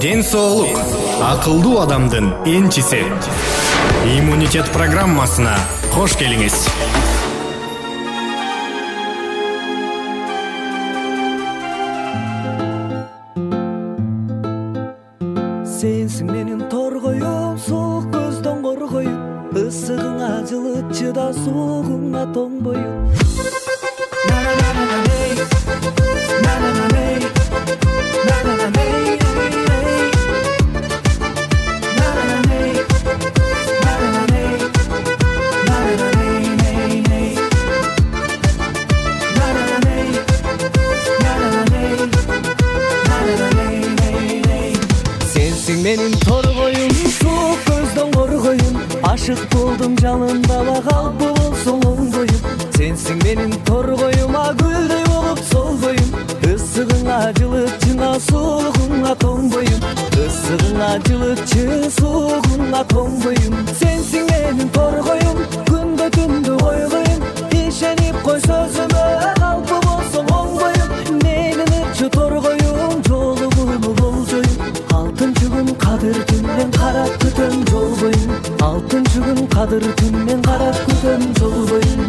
Ден соолук акылдуу адамдын энчиси. Иммунитет программасына кош келиңиз. Сенсиң менин торгоюм, суук көздөн коргоюм, ысыгыңа жылыт чыда, суугуңа тоңбоюм. Менин торгоюм, суук көздөн коргоюм, ашык болдум жалындала, калпы болсоң оңдоюм. Сенсиң менин торгоюма, гүлдөй болуп солгоюм, ысыгыңа жылытчыңа, суугуңа тоңбоюм. Ысыгыңа жылытчы, суугуңа тоңбоюм. Сенсиң менин торгоюм, күндө түндү койгоюм, ишенип кой сөзүмө, калпы болсоң оңдоюм. Менин ырчы торгоюм, жолугуну болжоюм. Алтынчы күн кадыр түнмен карап күтөм жол боюн. Алтынчы күн кадыр түнмен карап күтөм жол боюн.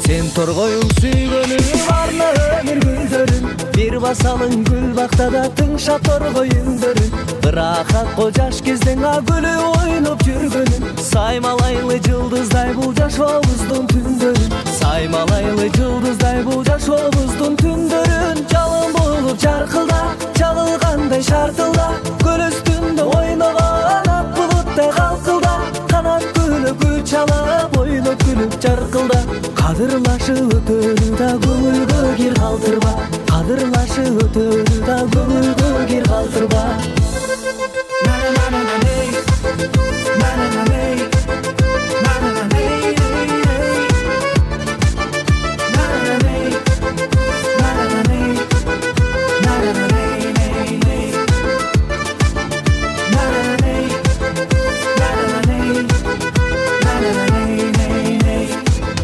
Сен торгоюм сүйгөнүм, арна өмүр гүлдөрүн, бир басалың гүл бактада тыңшап торгоюңдөрүн. Ырахатко жаш кезден гүлү ойноп жүргөнүм, саймалайлы жылдыздай бул жашообуздун түндөрүн. Саймалайлы жылдыздай бул жашообуздун түндөрүн. Жалын болуп жаркылда, чалылгандай шартылда, көл үстүндө ойногон ак булуттай калкылда, канат күлүп гүл чалып, ойноп күлүп жаркылда. Кадырлашып өтөрү да көңүлгө кир калтырба, кадырлашып өтөрү да көңүлгө кир калтырба.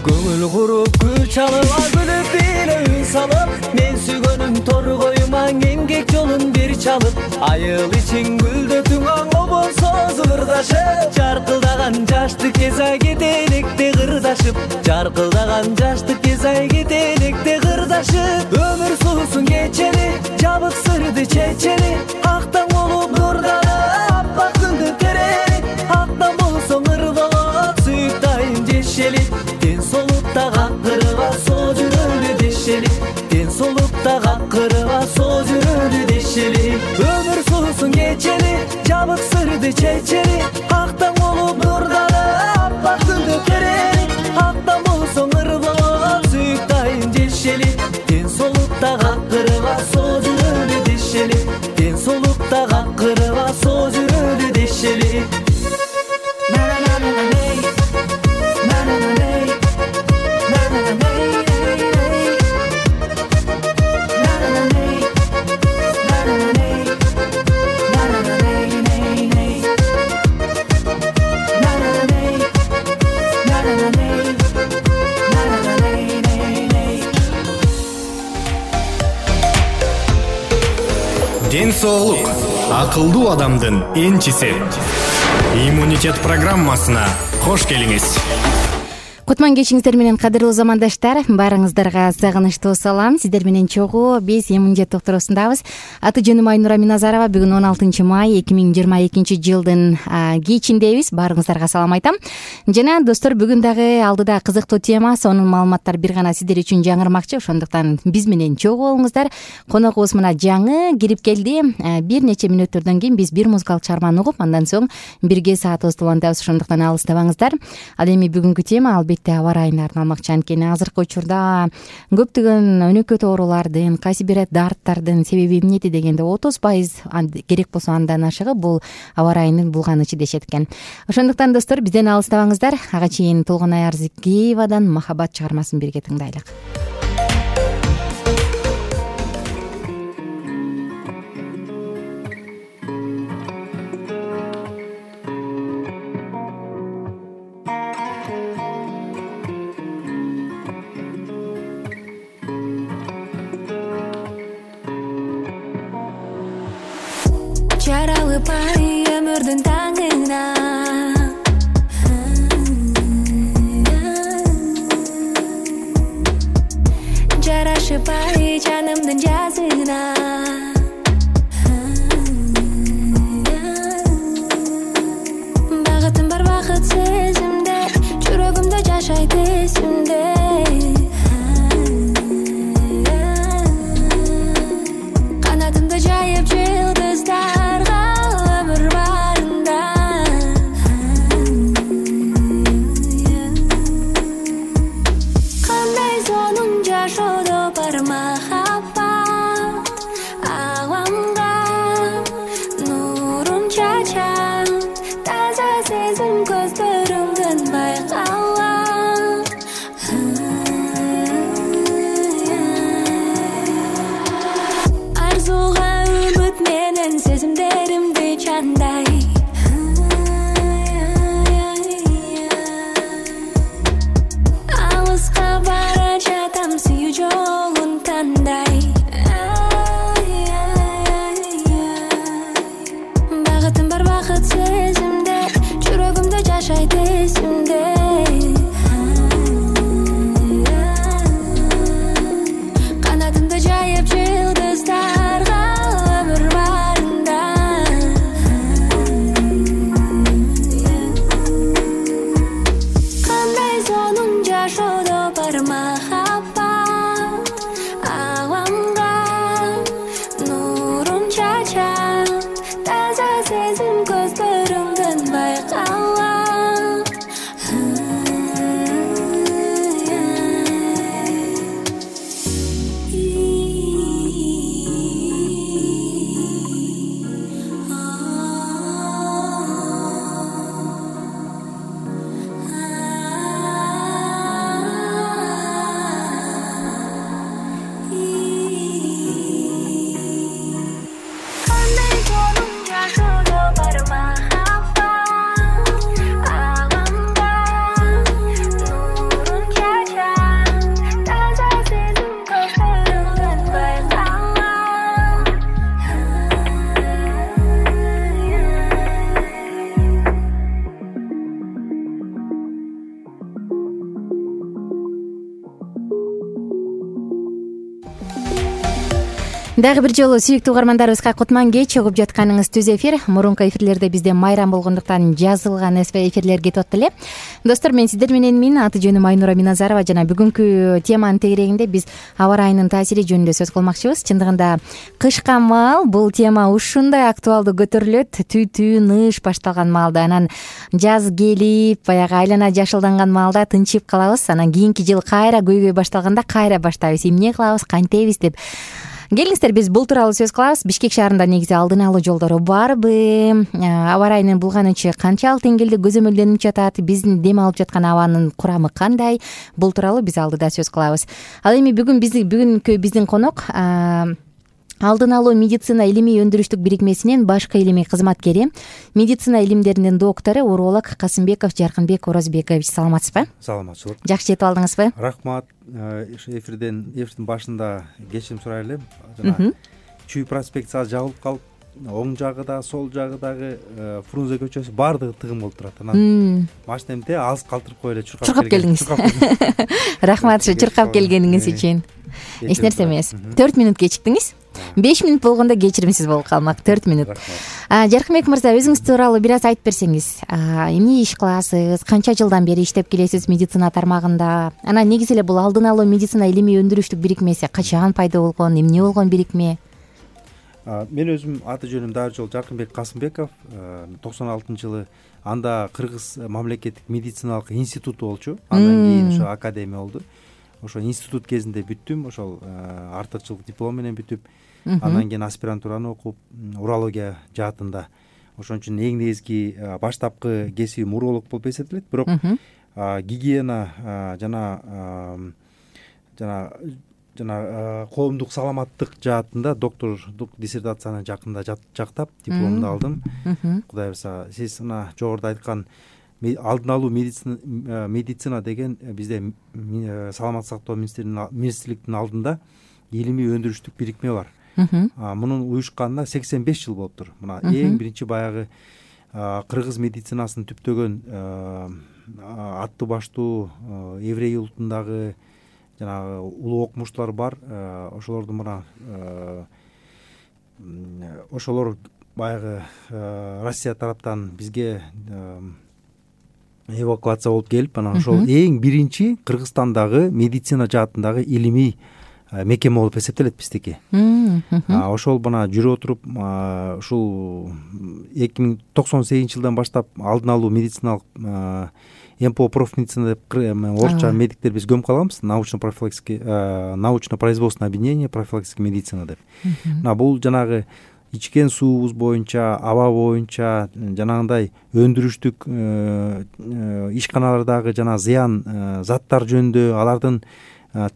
Көңүл куруп гүл чалып, күлүп эле үн салып, мен сүйгөнүм торгоюма эмгек жолун бир чалып. Айыл ичин гүлдөтүң аңо болсо зырдашып, жаркылдаган жаштык кез ай кетелекте кырдашып. Жаркылдаган жаштык кез ай кетелекте кырдашып. Өмүр суусун кечели, жабык сырды чечели, актан болуп нурданып, аппак күндү терели. Актан болсоң ыр болот, сүйүк дайым жешели. Ден солукта каккырыба, соо жүрөлү дешели. Ден солукта каккырыба, соо жүрөлү дешели. Өмүр суусун кечели, жабык сырды чечели, актан болуп нурданып, аппак күндү терели. Актан болсоң ыр болот, сүйүк дайым жешели. Ден солукта каккырыба, соо жүрөлү дешели. Ден солукта каккырыба, соо жүрөлү дешели. Ден соолук акылдуу адамдын энчиси. Иммунитет программасына кош келиңиз. Кутман кечиңиздер менен кадырлуу замандаштар, баарыңыздарга сагынычтуу салам. Сиздер менен чогуу биз иммунитет докторусундабыз. Аты жөнүм Айнура Миназарова. Бүгүн 16 май 2022 жылдын кечиндебиз. Баарыңыздарга салам айтам. Жана достор, бүгүн дагы алдыда кызыктуу тема, сонун маалыматтар бир гана сиздер үчүн жаңырмакчы. Ошондуктан биз менен чогуу болуңуздар. Коногубуз мына жаңы кирип келди. Бир нече мүнөттөрдөн кийин биз бир музыкалык чыгарманы угуп, андан соң бирге саатыбызды улантабыз. Ошондуктан алыстабаңыздар. Ал эми бүгүнкү тема албетте аба ырайына арналмакчы. Анткени азыркы учурда көптөгөн өнөкөт оорулардын, кайсы бир дарттардын себеби эмнети дегенде 30% керек болсо андан ашыгы бул аба ырайынын булганычы дешет экен. Ошондуктан достор, бизден алыстабаңыздар. Ага чейин Толгонай Арзыкеевадан Махаббат чыгармасын бирге тыңдайлык. жаралыпай өмүрдүн таңына жарашыпай жанымдын жазына багытым бар бакыт сезимде жүрөгүмдө жашайт эсимде канатымды жайып жылдыздарга өмүр барында кандай сонун жашоодо бар махаббат аламга нурун чачат таза сезим көздөрүңдөн байкалам арзуга үмүт менен сезимдеримди чандай алыска бара жатам сүйүү жолун тандай багытым бар бакыт сезимде жүрөгүмдө жашайт эсимде канатымды жайып жылдыздарга өмүр барында кандай сонун жашоодо бар махаббат аламга нурун чачат таза сезим көздөрүңдөн байкалам кандай сонун жашоодо бар махаббат аламга нурун чачат таза сезим көздөрүңдөн байкалам Дагы бир жолу сүйүктүү угармандарыбызга кутман кеч угуп жатканыңыз түз эфир. Мурунку эфирлерде бизде майрам болгондуктан жазылган эфирлер кетип атты эле. Достор, мен сиздер мененмин. Аты жөнүм Айнура Миназарова жана бүгүнкү теманын тегерегинде биз аба ырайынын таасири жөнүндө сөз кылмакчыбыз. Чындыгында кышка маал бул тема ушундай актуалдуу көтөрүлөт. Түтүү, ныш башталган маалда, анан жаз келип, баягы айлана жашылданган маалда тынчып калабыз. Анан кийинки жыл кайра көйгөй башталганда кайра баштайбыз. Эмне кылабыз, кантебиз деп. Келиңиздер, биз бул тууралуу сөз кылабыз. Бишкек шаарында негизи алдын алуу жолдору барбы? Аба ырайынын булганычы канчалык деңгээлде көзөмөлдөнүп жатат? Биздин дем алып жаткан абанын курамы кандай? Бул тууралуу биз алдыда сөз кылабыз. Ал эми бүгүнкү биздин конок алдын алуу медицина илимий өндүрүштүк бирикмесинин башкы илимий кызматкери, медицина илимдеринин доктору, уролог Касымбеков Жаркынбек Орозбекович. Саламатсызбы? Саламатчылык. Жакшы жетип алдыңызбы? Рахмат. Эфирдин башында кечирим сурай элем. Жана Чүй проспектиси азыр жабылып калып, оң жагы да, сол жагы дагы Фрунзе көчөсү баардыгы тыгым болуп турат. Анан машинемде аз калтырып коюп эле чуркап келдиңиз. Рахмат чуркап келгениңиз үчүн. Эч нерсе эмес. 4 мүнөт кечиктиңиз. 5 мүнөт болгондо кечиримсиз болуп калмак. 4 мүнөт. Жаркынбек мырза, өзүңүз тууралуу бир аз айтып берсеңиз. Эмне иш кыласыз? Канча жылдан бери иштеп келесиз медицина тармагында? Анан негизи эле бул алдын алуу медицина илимий өндүрүштүк бирикмеси качан пайда болгон, эмне болгон бирикме? Мен өзүм аты жөнүм дагы жолу Жаркынбек Касымбеков. 96-жылы анда Кыргыз мамлекеттик медициналык институту болчу. Андан кийин ошо академия болду. Ошо институт кезинде бүттүм. Ошол артыкчылык диплом менен бүтүп, андан кийин аспирантураны окуп, урология жаатында. Ошон үчүн эң негизги баштапкы кесибим уролог болуп эсептелет. Бирок гигиена жана коомдук саламаттык жаатында доктордук диссертацияны жакында жактап дипломду алдым. Кудай буйрса, сиз мына жогоруда айткан алдын алуу медицина деген бизде саламаттык сактоо министрликтин алдында илимий өндүрүштүк бирикме бар. Мунун уюшканына 85 жыл болуптур. Мына эң биринчи баягы кыргыз медицинасын түптөгөн аттуу баштуу еврей улутундагы жанагы улуу окумуштуулар бар. Ошолордун мына ошолор баягы Россия тараптан бизге эвакуация болуп келип, анан ошол эң биринчи Кыргызстандагы медицина жаатындагы илимий мекеме болуп эсептелет биздики. Ошол мына жүрүп отуруп ушул 2098 жылдан баштап алдын алуу медициналык МПО профмедицина деп орусча медиктер биз көмүп калганбыз. Научно-производственное объединение профилактической медицина деп. Мына бул жанагы ичкен суубуз боюнча, аба боюнча жанагындай өндүрүштүк ишканалардагы жана зыян заттар жөнүндө, алардын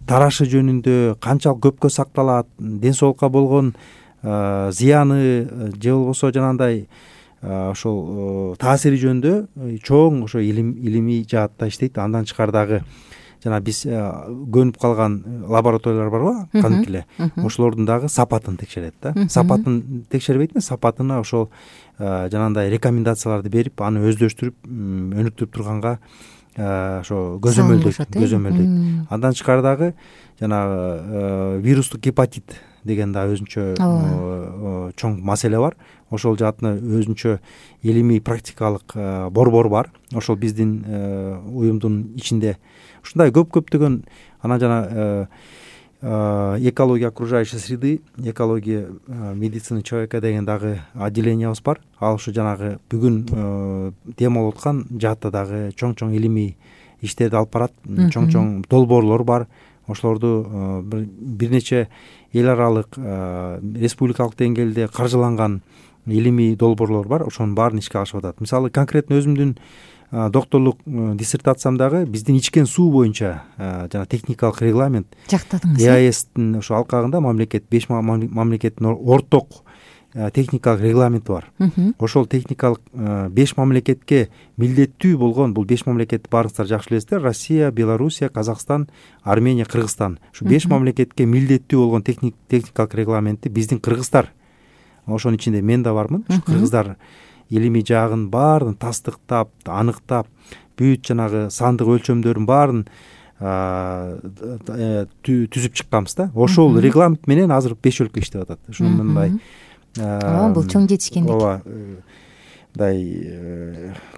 тарашы жөнүндө, канчалык көпкө сакталат, ден соолукка болгон зыяны же болбосо жанагындай ошол таасири жөнүндө чоң ошо илимий жаатта иштейт. Андан тышкары жана биз көнүп калган лабораториялар барбы, кадимки эле ошолордун дагы сапатын текшерет да. Сапатын текшербейт эмес, сапатына ошол жанагындай рекомендацияларды берип, аны өздөштүрүп, өнүктүрүп турганга ошо көзөмөлдөйт. Андан тышкары дагы жанагы вирустук гепатит деген да өзүнчө чоң маселе бар. Ошол жаатына өзүнчө илимий практикалык борбор бар. Ошол биздин уюмдун ичинде ушундай көптөгөн анан жана экология окружающей среды, экология медицины человека деген дагы отделениябыз бар. Ал ушу жанагы бүгүн тема болуп аткан жаатта дагы чоң илимий иштерди алып барат. Чоң долбоорлор бар. Ошолорду бир нече эл аралык, республикалык деңгээлде каржыланган илимий долбоорлор бар. Ошонун баарын ишке ашып атат. Мисалы конкретно өзүмдүн докторлук диссертациямдагы биздин ичкен суу боюнча жана техникалык регламент жактадыңыз. ЕАЭСтин ошо алкагында мамлекет 5 мамлекеттин орток техникалык регламенти бар. Ошол техникалык 5 мамлекетке милдеттүү болгон, бул 5 мамлекетти баарыңыздар жакшы билесиздер: Россия, Белоруссия, Казакстан, Армения, Кыргызстан. Ушу 5 мамлекетке милдеттүү болгон техникалык регламентти биздин кыргыздар, ошонун ичинде мен да бармын, ушу кыргыздар илимий жагын баарын тастыктап, аныктап, бүт жанагы сандык өлчөмдөрүн баарын түзүп чыкканбыз да. Ошол регламент менен азыр 5 өлкө иштеп атат. Ушуну мындай бул чоң жетишкендик. Ооба, мындай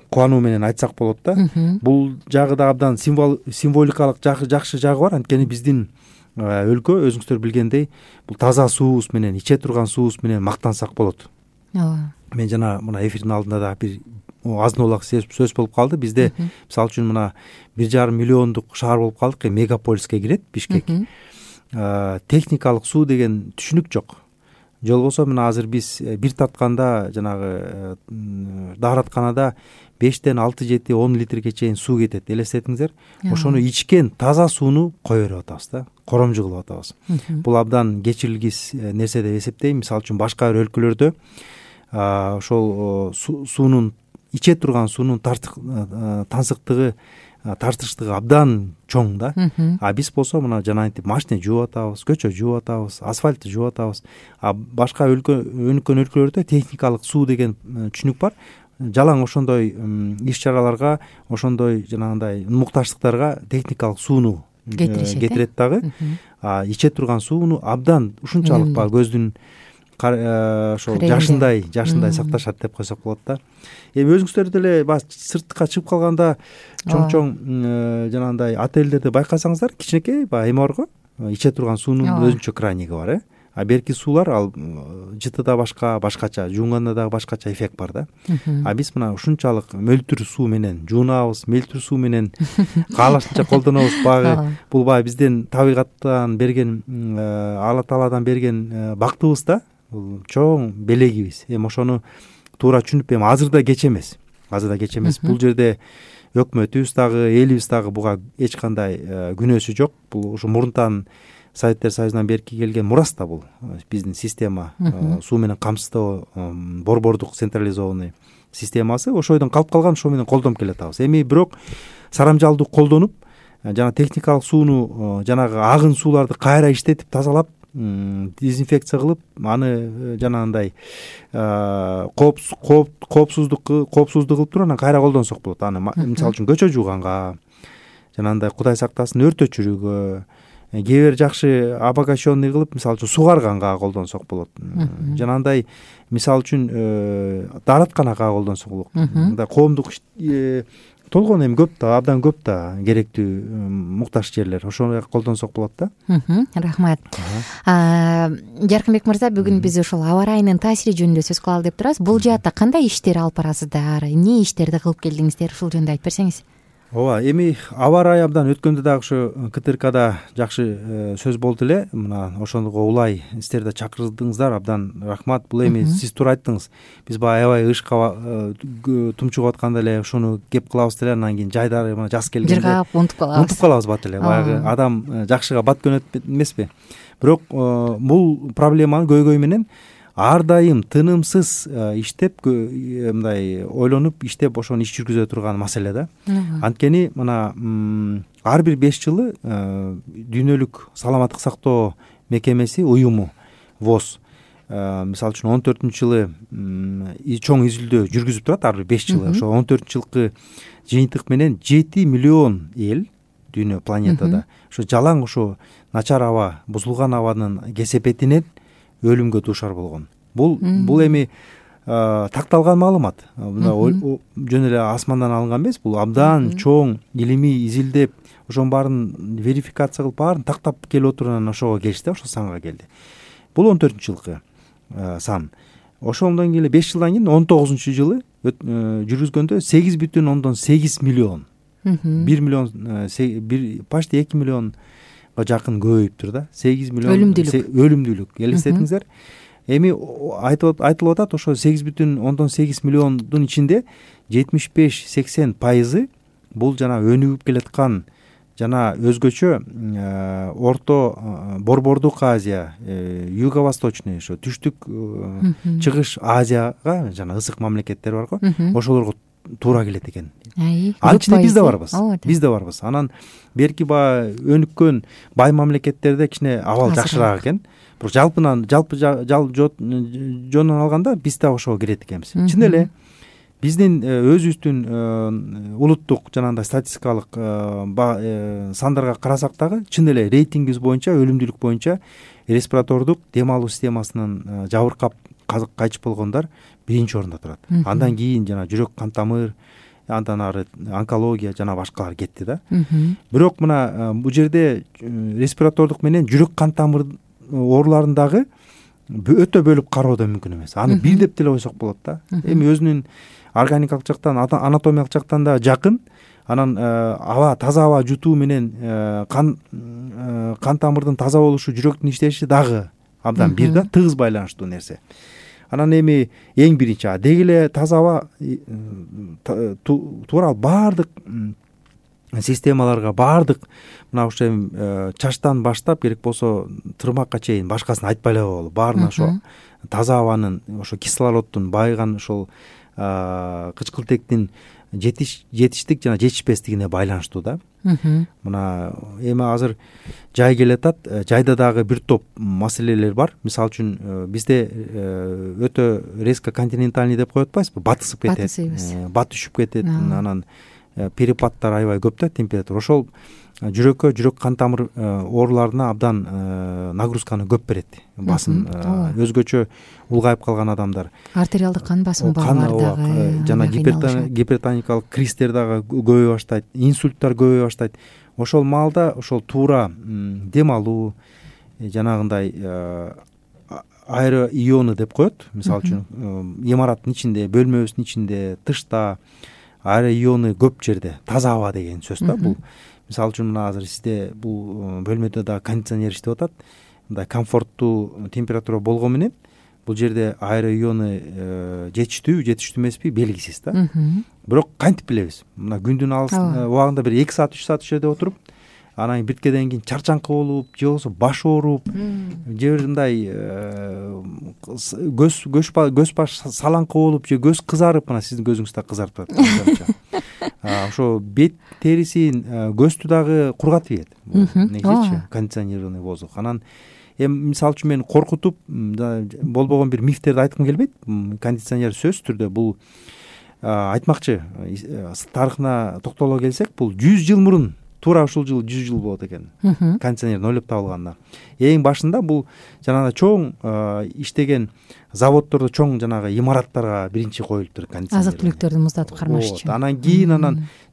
кубануу менен айтсак болот да. Бул жагы да абдан символикалык жакшы жагы бар. Анткени биздин өлкө өзүңүздөр билгендей бул таза суубуз менен, иче турган суубуз менен мактансак болот. Ооба. Мен жана мына эфирдин алдында да бир азын-олак сөз болуп калды. Бизде мисалы үчүн мына 1,5 миллиондук шаар болуп калдык, мегаполиске кирет Бишкек. Техникалык суу деген түшүнүк жок. Же болбосо мына азыр биз бир тартканда жанагы дааратканада 5тен 6-7 10 литрге чейин суу кетет. Элестетиңиздер. Ошону ичкен таза сууну кое берип атабыз да. Коромжу кылып атабыз. Бул абдан кечирилгис нерсе деп эсептейм. Мисалы үчүн башка бир өлкөлөрдө ошол суунун, иче турган суунун тартыштыгы абдан чоң да. Биз болсо мына жанагынтип машина жууп атабыз, көчө жууп атабыз, асфальтты жууп атабыз. Башка өнүккөн өлкөлөрдө техникалык суу деген түшүнүк бар. Жалаң ошондой иш-чараларга, ошондой жанагындай муктаждыктарга техникалык сууну кетирет дагы. Иче турган сууну абдан ушунчалык баягы көздүн ошол жашындай сакташат деп койсок болот да. Эми өзүңүздөр деле баягы сыртка чыгып калганда чоң жанагындай отелдерди байкасаңыздар, кичинекей баягы эме барго, иче турган суунун өзүнчө краниги бар. Берки суулар ал жытыда башкача, жууганда дагы башкача эффект бар да. Биз мына ушунчалык мөлтүр суу менен жуунабыз, мөлтүр суу менен каалашынча колдонобуз. Бул баягы биздин табигаттан берген, Алла Тааладан берген бактыбыз да. Бул чоң белегибиз. Эми ошону туура түшүнүп, эми азыр да кеч эмес. Бул жерде өкмөтүбүз дагы, элибиз дагы буга эч кандай күнөөсү жок. Бул ушу мурунтан Советтер Союзунан берки келген мурас да бул. Биздин система, суу менен камсыздоо, борбордук централизованный системасы ошойдон калып калган, ошо менен колдонуп келатабыз. Эми бирок сарамжалдуу колдонуп, жана техникалык сууну, жанагы агын сууларды кайра иштетип тазалап, дезинфекция кылып аны жанагындай коопсуздук кылып туруп анан кайра колдонсок болот. Аны мисалы үчүн көчө жууганга, жанагындай Кудай сактасын өрт өчүрүүгө, кээ бир жакшы обогащенный кылып мисалы үчүн сугарганга колдонсок болот. Жанагындай мисалы үчүн дааратканага колдонсок болот. Мындай коомдук толгон эми көп да, абдан көп да керектүү муктаж жерлер, ошону колдонсок болот да. Рахмат. Жаркынбек мырза, бүгүн биз ушул аба ырайынын таасири жөнүндө сөз кылалы деп турабыз. Бул жаатта кандай иштер алып барасыздар, эмне иштерди кылып келдиңиздер, ушул жөнүндө айтып берсеңиз. Ооба, эми аба ырайы абдан өткөндө дагы ушу КТРКда жакшы сөз болду эле. Мына ошого улай сиздер да чакырдыңыздар, абдан рахмат. Бул эми сиз туура айттыңыз. Биз баягы аябай ышка тумчугуп атканда эле ошону кеп кылабыз деле, анан кийин жайдары мына жаз келгенде жыргап унутуп калабыз бат эле. Баягы адам жакшыга бат көнөт эмеспи? Бирок бул проблеманы көйгөй менен ар дайым тынымсыз иштеп, мындай ойлонуп иштеп ошону иш жүргүзө турган маселе да. Анткени мына ар бир 5 жылы дүйнөлүк саламаттык сактоо мекемеси уюму ВОЗ мисалы үчүн 14-жылы чоң изилдөө жүргүзүп турат ар бир 5 жылы. Ошо 14-жылкы жыйынтык менен 7 миллион эл дүйнө планетада ошо жалаң ошо начар аба, бузулган абанын кесепетинен өлүмгө дуушар болгон. Бул эми такталган маалымат. Жөн эле асмандан алынган эмес, бул абдан чоң илимий изилдеп, ошонун баарын верификация кылып, баарын тактап келип отуруп ошого келишти, ошол санга келди. Бул 14-жылкы сан. Ошондон кийин 5 жылдан кийин 19-жылы жүргүзгөндө 8,8 миллион. 1 миллион, почти 2 миллионго жакын көбөйүптүр да. 8 миллион өлүмдүүлүк. Элестетиңиздер. Эми айтылып атат, ошо 8,8 миллиондун ичинде 75-80% бул жана өнүгүп келаткан жана өзгөчө Орто Борбордук Азия, Юго-Восточный, ошо түштүк чыгыш Азияга жана ысык мамлекеттер барго, ошолорго туура келет экен. Анын ичинде биз да барбыз. Биз да барбыз. Анан берки өнүккөн бай мамлекеттерде кичине абал жакшыраак экен. Бирок жалпы жонунан алганда биз да ошого кирет экенбиз. Чын эле биздин өзүбүздүн улуттук жанагындай статистикалык сандарга карасак дагы чын эле рейтингибиз боюнча, өлүмдүүлүк боюнча респиратордук дем алуу системасынын жабыркап кайтыш болгондар 1-орунда турат. Андан кийин жана жүрөк кан тамыр, андан ары онкология жана башкалар кетти да. Бирок мына бул жерде респиратордук менен жүрөк кан тамыр ооруларындагы өтө бөлүп кароо да мүмкүн эмес. Аны бир деп деле койсок болот да. Эми өзүнүн органикалык жактан, анатомиялык жактан да жакын. Анан таза аба жутуу менен кан тамырдын таза болушу, жүрөктүн иштеши дагы абдан бир да, тыгыз байланыштуу нерсе. Анан эми эң биринчи деги эле таза аба туура баардык системаларга, баардык мына ошо чачтан баштап керек болсо тырмакка чейин башкасын айтпай эле коелу. Баарына ошо таза абанын, ошо кислороддун байыган ошол кычкылтектин жетиштик жана жетишпестигине байланыштуу да. Мына эми азыр жай келатат, жайда дагы бир топ маселелер бар. Мисалы үчүн бизде өтө резко континентальный деп коюп атпайсызбы? Батысып кетет, бат түшүп кетет, анан перепаддар аябай көп да, температура. Ошол жүрөккө, жүрөк кан тамыр ооруларына абдан нагрузканы көп берет. Басым өзгөчө улгайып калган адамдар, артериалдык кан басымы барлар дагы, жана гипертоникалык кристер дагы көбөйө баштайт, инсульттар көбөйө баштайт. Ошол маалда ошол туура дем алуу, жанагындай аэроионы деп коет. Мисалы үчүн имараттын ичинде, бөлмөбүздүн ичинде, тышта аэроионы көп жерде, таза аба деген сөз да бул. Мисалы үчүн мына азыр сизде бул бөлмөдө да кондиционер иштеп атат. Мындай комфорттуу температура болгон менен бул жерде аэроионы жетиштүү эмеспи белгисиз да. Бирок кантип билебиз? Мына күндүн алыс убагында бир 2 саат 3 саат ошол жерде отуруп, анан биткеден кийин чарчаңкы болуп, же болбосо баш ооруп, же бир мындай көз баш салаңкы болуп, же көз кызарып, мына сиздин көзүңүз да кызарып турат. Ошо бет терисин, көздү дагы кургатып ийет. Негизичи кондиционированный воздух. Анан Эми мисалы үчүн мени коркутуп болбогон бир мифтерди айткым келбейт. Кондиционер сөзсүз түрдө бул айтмакчы тарыхына токтоло келсек, бул 100 жыл мурун, туура ушул жыл 100 жыл болот экен кондиционер ойлоп табылганына. Эң башында бул жанагы чоң иштеген заводдордо, чоң жанагы имараттарга биринчи коюлуптур кондиционер. Азык түлүктөрдү муздатып кармаш үчүн. Анан кийин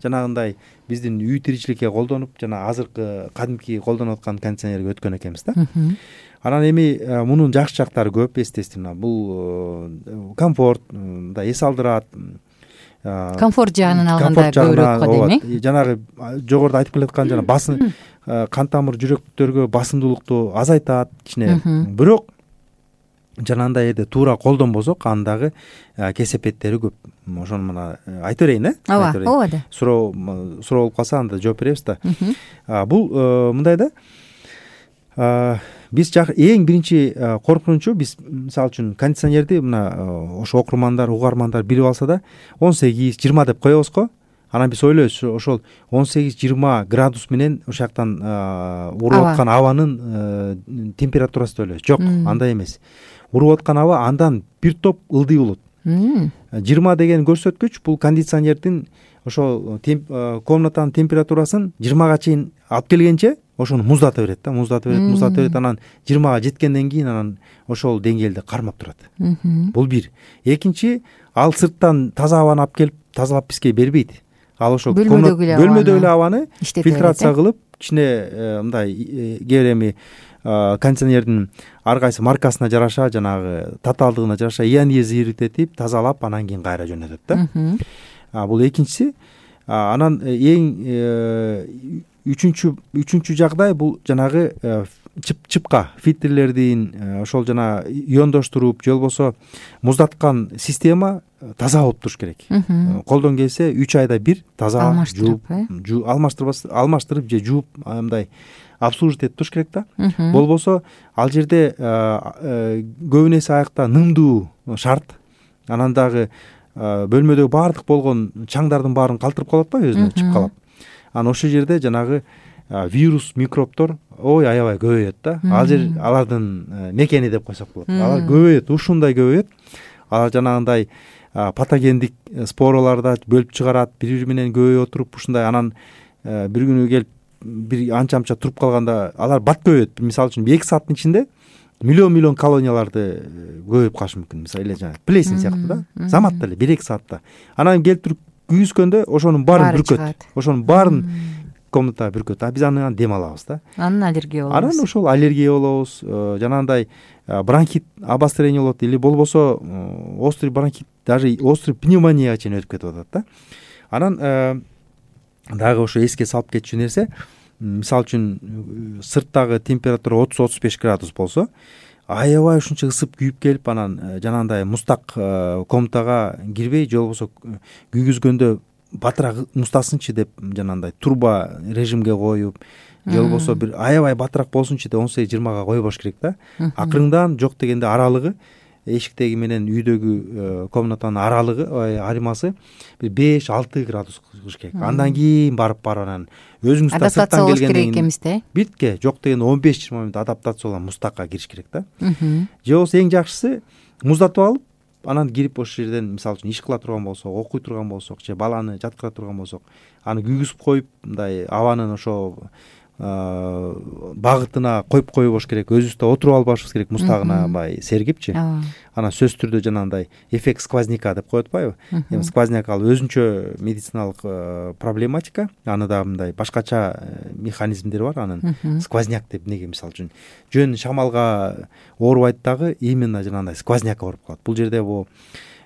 жанагындай биздин үй тиричиликке колдонуп, жана азыркы кадимки колдонуп аткан кондиционерге өткөн экенбиз да. Анан эми мунун жакшы жактары көп, естественно. Бул комфорт, мындай эс алдырат. Комфорт жагынан алганда көбүрөөк го дейм. Жанагы жогоруда айтып келаткан жана басым, кан тамыр, жүрөктөргө басымдуулукту азайтат кичине. Бирок жанагындай жерде туура колдонбосок, андагы кесепеттери көп. Ошону мына айтып берейин, ооба, ооба да. Суроо болуп калса анда жооп беребиз да. Бул мындай да. Биз эң биринчи коркунучу, биз мисалы үчүн кондиционерди мына ошо окурмандар, угармандар билип алса да 18-20 деп коебуз го. Анан биз ойлойбуз, ошол 18-20 градус менен ошол жактан уруп аткан абанын температурасы деп ойлойбуз. Жок, андай эмес. Уруп аткан аба андан бир топ ылдый болот. 20 деген көрсөткүч бул кондиционердин ошол комнатанын температурасын 20га чейин алып келгенче ошону муздата берет да, муздата берет. Анан 20га жеткенден кийин анан ошол деңгээлде кармап турат. Бул бир. Экинчи, ал сырттан таза абаны алып келип тазалап бизге бербейт. Ал ошол бөлмөдөгү эле абаны фильтрация кылып, кичине мындай кээ бир эми кондиционердин ар кайсы маркасына жараша, жанагы татаалдыгына жараша ионизирует тазалап, анан кийин кайра жөнөтөт да. Бул экинчиси. Анан эң үчүнчү жагдай бул жанагы чыпка фильтрлердин ошол жана иондоштуруп же болбосо муздаткан система таза болуп туруш керек. Колдон келсе 3 айда бир таза алмаштырып же жууп мындай обслуживать этип туруш керек да. Болбосо ал жерде көбүн эсе аякта нымдуу шарт. Анан дагы бөлмөдөгү баардык болгон чаңдардын баарын калтырып калат ба өзүнө чыпкалап. Анан ошол жерде жанагы вирус, микробтор аябай көбөйөт да. Ал жер алардын мекени деп койсок болот. Алар көбөйөт, ушундай көбөйөт. Алар жанагындай патогендик спораларды бөлүп чыгарат, бири менен көбөйүп отуруп, ушундай анан бир күнү келип бир анча туруп калганда алар бат көбөйөт. Мисалы үчүн 2 сааттын ичинде миллион колонияларды көбөйүп калышы мүмкүн. Мисалы эле жана плесень сыяктуу да. Заматта эле 1-2 саатта. Анан келип туруп күйгүзгөндө ошонун баарын бүркөт. Ошонун баарын комнатага бүркөт. Биз андан дем алабыз да. Анан аллергия болобуз. Анан ошол аллергия болобуз. Жанагындай бронхит обострение болот или болбосо острый бронхит, даже острый пневмонияга чейин өтүп кетип атат да. Анан дагы ошо эске салып кетчү нерсе, мисалы үчүн сырттагы температура 30-35 градус болсо, аябай ушунча ысып күйүп келип, анан жанагындай муздак комнатага кирбей, же болбосо күйгүзгөндө батыраак муздасынчы деп жанагындай турбо режимге коюп, же болбосо бир аябай батыраак болсунчу деп 18-20га койбош керек да. Акырыңдан жок дегенде аралыгы, эшиктеги менен үйдөгү комнатанын аралыгы, айырмасы бир 5-6 градус кылыш керек. Андан кийин барып анан өзүңүз да сырттан келгенден кийин битке жок дегенде 15-20 мүнөт адаптацияланып муздакка кириш керек да. Же болбосо эң жакшысы муздатып алып, анан кирип ошол жерден мисалы үчүн иш кыла турган болсок, окуй турган болсок, же баланы жаткыра турган болсок, аны күйгүзүп коюп, мындай абанын ошо багытына коюп койбош керек. Өзүбүз да отуруп албашыбыз керек муздагына сергипчи. Анан сөзсүз түрдө жанагындай эффект сквозняка деп коет атпайбы? Эми сквозняк ал өзүнчө медициналык проблематика. Аны да мындай башкача механизмдери бар анын. Сквозняк деп эмнеге мисалы үчүн жөн шамалга оорубайт дагы, именно жанагындай сквозняк ооруп калат. Бул жерде бул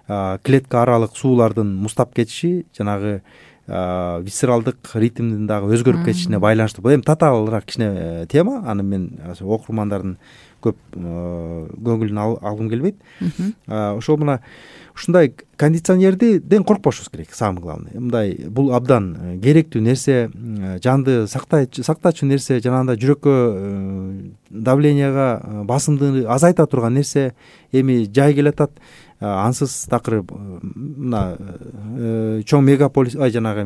клетка аралык суулардын муздап кетиши, жанагы висцералдык ритмдин дагы өзгөрүп кетишине байланыштуу. Бул эми татаалыраак кичине тема. Аны мен окурмандардын көп көңүлүн алгым келбейт. Ошол мына ушундай кондиционерден коркпошубуз керек, самый главный. Мындай бул абдан керектүү нерсе, жанды сактачу нерсе, жанагындай жүрөккө давленияга, басымды азайта турган нерсе. Эми жай келатат, ансыз такыр мына чоң мегаполис, жанагы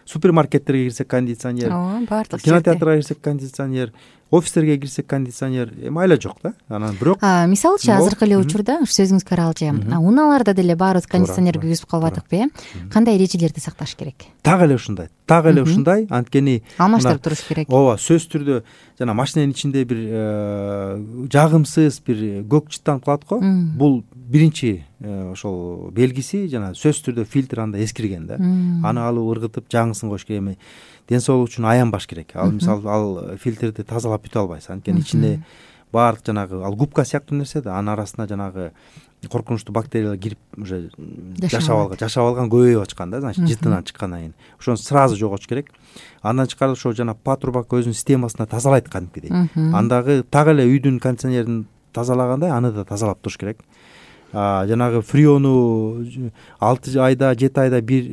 супермаркеттерге кирсек кондиционер, ооба, баардык кинотеатрга кирсек кондиционер, офистерге кирсек кондиционер, майла жок да. Анан бирок мисалычы азыркы эле учурда сөзүңүзгө каралчы унааларда деле баарыбыз кондиционер күйгүзүп калбадыкпы, кандай эрежелерди сакташ керек? Так эле ушундай, анткени алмаштырып туруш керек. ооба, сөзсүз түрдө жана машинанын ичинде бир жагымсыз бир көк чыттанып калат го. Бул биринчи ошол белгиси, жана сөзсүз түрдө фильтр анда эскирген да. Аны алып ыргытып жаңысын коюш керек. Эми ден соолук үчүн аянбаш керек. Ал мисалы ал фильтрди тазалап бүтө албайсыз, анткени ичинде баардык жанагы ал губка сыяктуу нерсе да, анын арасына жанагы коркунучтуу бактериялар кирип уже жашап алган, көбөйүп ачкан да, значит жытынан чыккандан кийин ошону сразу жоготуш керек. Андан тышкары ошо жана патрубак өзүнүн системасына тазалайт кадимкидей. Андагы так эле үйдүн кондиционерин тазалагандай аны да тазалап туруш керек. Жанагы фреону 6 айда 7 айда бир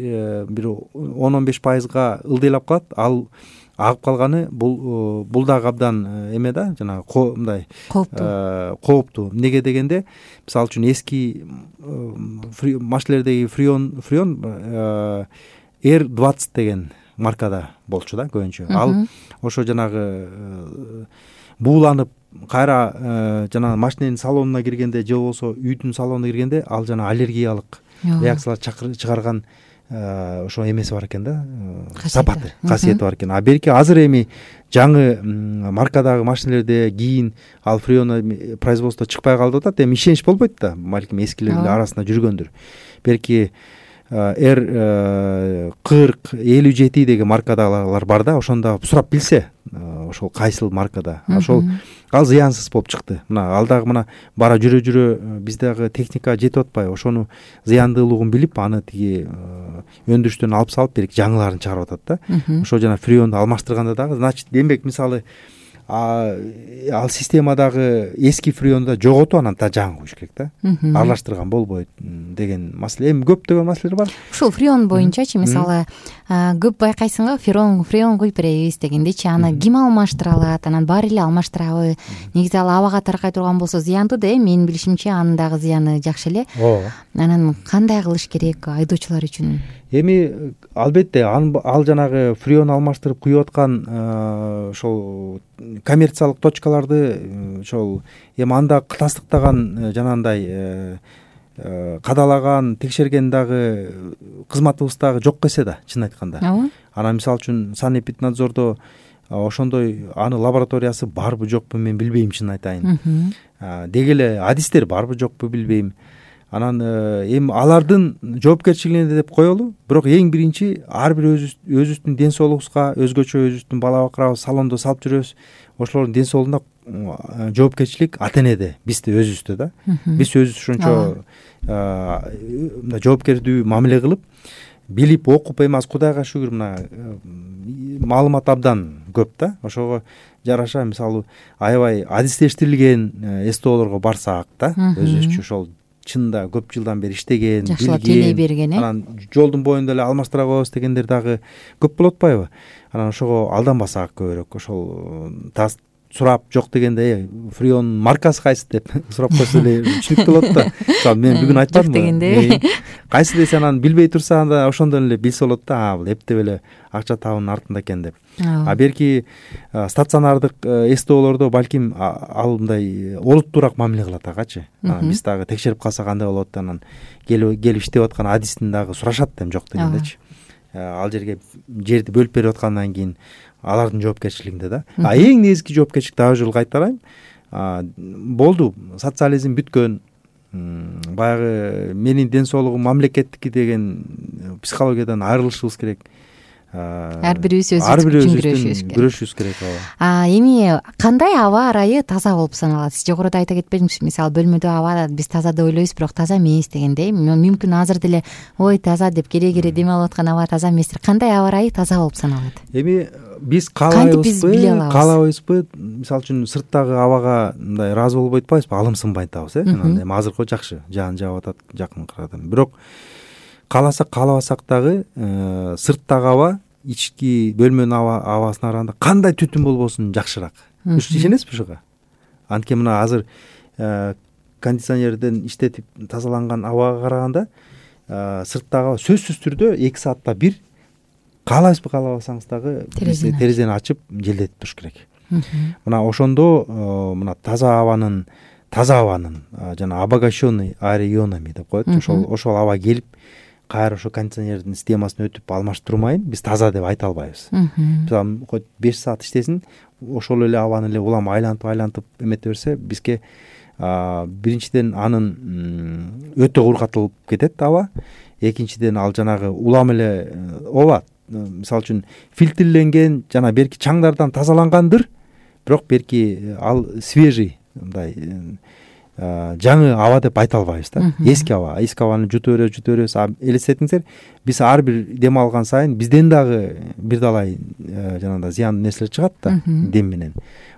10-15%га ылдыйлап калат. Ал агып калганы бул дагы абдан эме да, жанагы мындай кооптуу. Эмнеге дегенде, мисалы үчүн эски машинелердеги фреон R20 деген маркада болчу да көбүнчө. Ал ошо жанагы бууланып кайра жана машиненин салонуна киргенде же болбосо үйдүн салонуна киргенде ал жана аллергиялык реакциялар чыгарган ошо эмеси бар экен да, сапаты, касиети бар экен. Берки азыр эми жаңы маркадагы машинелерде кийин ал фреон производство чыкпай калып атат. Эми ишенич болбойт да, балким эскилердин арасында жүргөндүр. Берки R40-57 деген маркадагылар бар да, ошондо сурап билсе, ошол кайсыл маркада, ошол ал зыянсыз болуп чыкты. Мына ал дагы мына бара жүрө биз дагы техника жетип атпайбы, ошону зыяндуулугун билип, аны тиги өндүрүштөн алып салып берки жаңыларын чыгарып атат да. Ошо жана фреонду алмаштырганда дагы, значит, демек мисалы ал системадагы эски фреонду жоготуп анан жаңы коюш керек да. Аралаштырган болбойт деген маселе. Эми көптөгөн маселелер бар. Ушул фреон боюнчачы, мисалы көп байкайсың го, фреон куюп беребиз дегендечи, аны ким алмаштыра алат? Анан баары эле алмаштырабы? Негизи ал абага таркай турган болсо зыяндуу да, менин билишимче анын дагы зыяны жакшы эле. Ооба. Анан кандай кылыш керек айдоочулар үчүн? Эми албетте ал жанагы фреон алмаштырып куюп аткан ошол коммерциялык точкаларды ошол эми анда тастыктаган жанагындай кадалаган, текшерген дагы кызматыбыз дагы жок эсе да, чын айтканда. Анан мисалы үчүн санэпиднадзордо ошондой аны лабораториясы барбы жокпу мен билбейм, чын айтайын. Деги эле адистер барбы жокпу билбейм. Анан эми алардын жоопкерчилигине деп коелу. Бирок эң биринчи ар бир өзүбүздүн ден соолугубузга, өзгөчө өзүбүздүн бала бакырабыз салондо салып жүрөбүз. Ошолордун ден соолугуна жоопкерчилик ата энеде, бизде өзүбүздө да. Биз өзүбүз ошончо мындай жоопкердүү мамиле кылып, билип окуп, эми азыр Кудайга шүгүр мына маалымат абдан көп да. Ошого жараша мисалы аябай адистештирилген СТОлорго барсак да, өзүбүзчө ошол чында көп жылдан бери иштеген, жакшылап тейлей берген, анан жолдун боюнда эле алмаштыра коебуз дегендер дагы көп болуп атпайбы? Анан ошого алданбасак көбүрөөк, ошол сурап жок дегенде фреон маркасы кайсы деп сурап койсо эле түшүнүктүү болот да. Мисалы мен бүгүн айтпадымбы дегенде кайсы десе, анан билбей турса анда ошондон эле билсе болот да, бул эптеп эле акча табуунун артында экен деп. Берки стационардык СТОлордо балким ал мындай олуттуураак мамиле кылат агачы. Биз дагы текшерип калсак кандай болот, анан келип иштеп аткан адистин дагы сурашат да, жок дегендечи. Ал жерди бөлүп берип аткандан кийин алардын жоопкерчилигинде да. Эң негизги жоопкерчилик дагы жолу кайтарайм. Болду, социализм бүткөн, баягы менин ден соолугум мамлекеттики деген психологиядан айрылышыбыз керек. Ар бирибиз өзүбүз күрөшүбүз керек. Эми кандай аба ырайы таза болуп саналат? Сиз жогоруда айта кетпедиңизби? Мисалы бөлмөдө аба биз таза деп ойлойбуз, бирок таза эмес дегендей. Мүмкүн азыр деле ой таза деп кере дем алып аткан аба таза эместир. Кандай аба ырайы таза болуп саналат? Эми биз каалайбызбы? Мисалы үчүн сырттагы абага мындай ыраазы болбой атпайбызбы? Алымсынбай атабыз, эми азыркы жакшы, жаан жаап атат жакын кырадан. Бирок кааласак каалабасак дагы сырттагы аба ички бөлмөнүн абасына караганда кандай түтүн болбосун жакшыраак. Ишенесизби ушуга? Анткени мына азыр кондиционерден иштетип тазаланган абага караганда сырттагы сөзсүз түрдө 2 саатта бир каалайсызбы каалабасаңыз дагы терезени ачып желдетип туруш керек. Мына ошондо мына таза абанын жана обогащенный аэроионами деп коет. Ошол аба келип кайра ошо кондиционердин системасына өтүп алмаштырмайын биз таза деп айта албайбыз. Мисалы 5 саат иштесин, ошол эле абаны эле улам айлантып эмете берсе бизге биринчиден анын өтө кургатылып кетет аба. Экинчиден ал жанагы улам эле ооба, мисалы үчүн фильтрленген жана берки чаңдардан тазалангандыр, бирок берки ал свежий мындай жаңы аба деп айта албайбыз да. Эски абаны жута беребиз. Элестетиңиздер, биз ар бир дем алган сайын бизден дагы бир далай жанагындай зыяндуу нерселер чыгат да дем менен.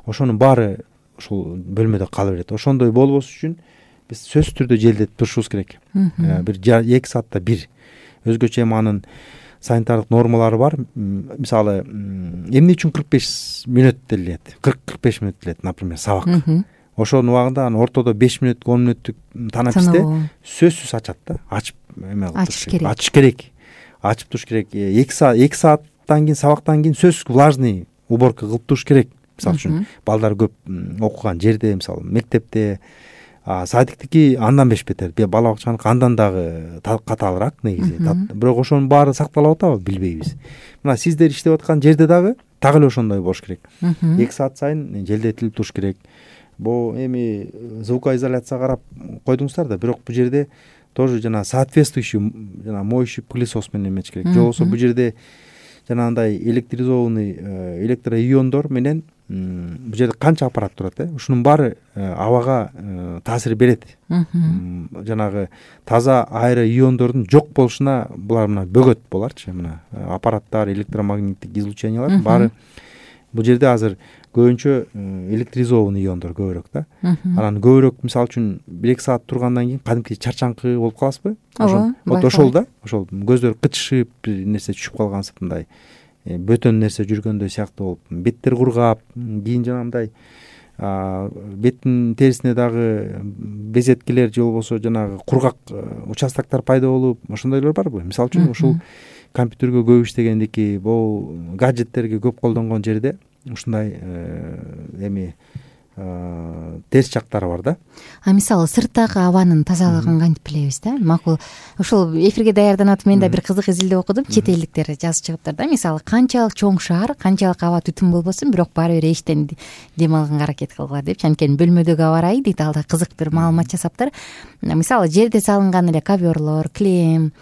Ошонун баары ушул бөлмөдө кала берет. Ошондой болбош үчүн биз сөзсүз түрдө желдетип турушубуз керек. Бир 2 саатта бир. Өзгөчө эми анын санитардык нормалары бар. Мисалы эмне үчүн 45 мүнөт делет? 40-45 мүнөт делет, например, сабак. Ошонун убагында анын ортодо 5 мүнөт, 10 мүнөттүк танаписте сөзсүз ачат да. Ачып ачыш керек. Ачып туруш керек. 2 сааттан кийин, сабактан кийин сөзсүз влажный уборка кылып туруш керек. Мисалы үчүн балдар көп окуган жерде, мисалы мектепте, садиктики андан бешбетер, бала бакчаныкы андан дагы катаалыраак негизи. Бирок ошонун баары сакталып атабы билбейбиз. Мына сиздер иштеп аткан жерде дагы так эле ошондой болуш керек. 2 саат сайын желдетилип туруш керек. Бул эми звукоизоляцияга карап койдуңуздар да, бирок бул жерде тоже жана соответствующий жана моющий пылесос менен эметиш керек. Же болбосо бул жерде жанагындай электризованный электроиондор менен бул жерде канча аппарат турат, ушунун баары абага таасир берет. Жанагы таза аэроиондордун жок болушуна булар мына бөгөт боларчы, мына аппараттар, электромагниттик излучениялар баары бул жерде азыр көбүнчө электризованный иондор көбүрөөк да. Анан көбүрөөк, мисалы үчүн 1-2 саат тургандан кийин кадимки чарчаңкы болуп каласызбы? Ошол да, ошол көздөр кычышып, бир нерсе түшүп калгансып, мындай бөтөн нерсе жүргөндөй сыяктуу болуп, беттер кургап, кийин жанагындай беттин терисине дагы безеткилер же болбосо жанагы кургак участоктор пайда болуп, ошондойлор барбы? Мисалы үчүн ушул компьютерге көп иштегендики, бул гаджеттерге көп колдонгон жерде ушундай эми терс жактары бар да. Мисалы сырттагы абанын тазалыгын кантип билебиз да? Макул ушул эфирге даярданып атып мен да бир кызык изилдөө окудум. Чет элдиктер жазып чыгыптыр да. Мисалы канчалык чоң шаар, канчалык аба түтүн болбосун, бирок баары бир эчтен дем алганга аракет кылгыла депчи. Анткени бөлмөдөгү аба ырайы дейт, алда кызык бир маалымат жасаптыр. Мисалы жерде салынган эле ковёрлор, килем,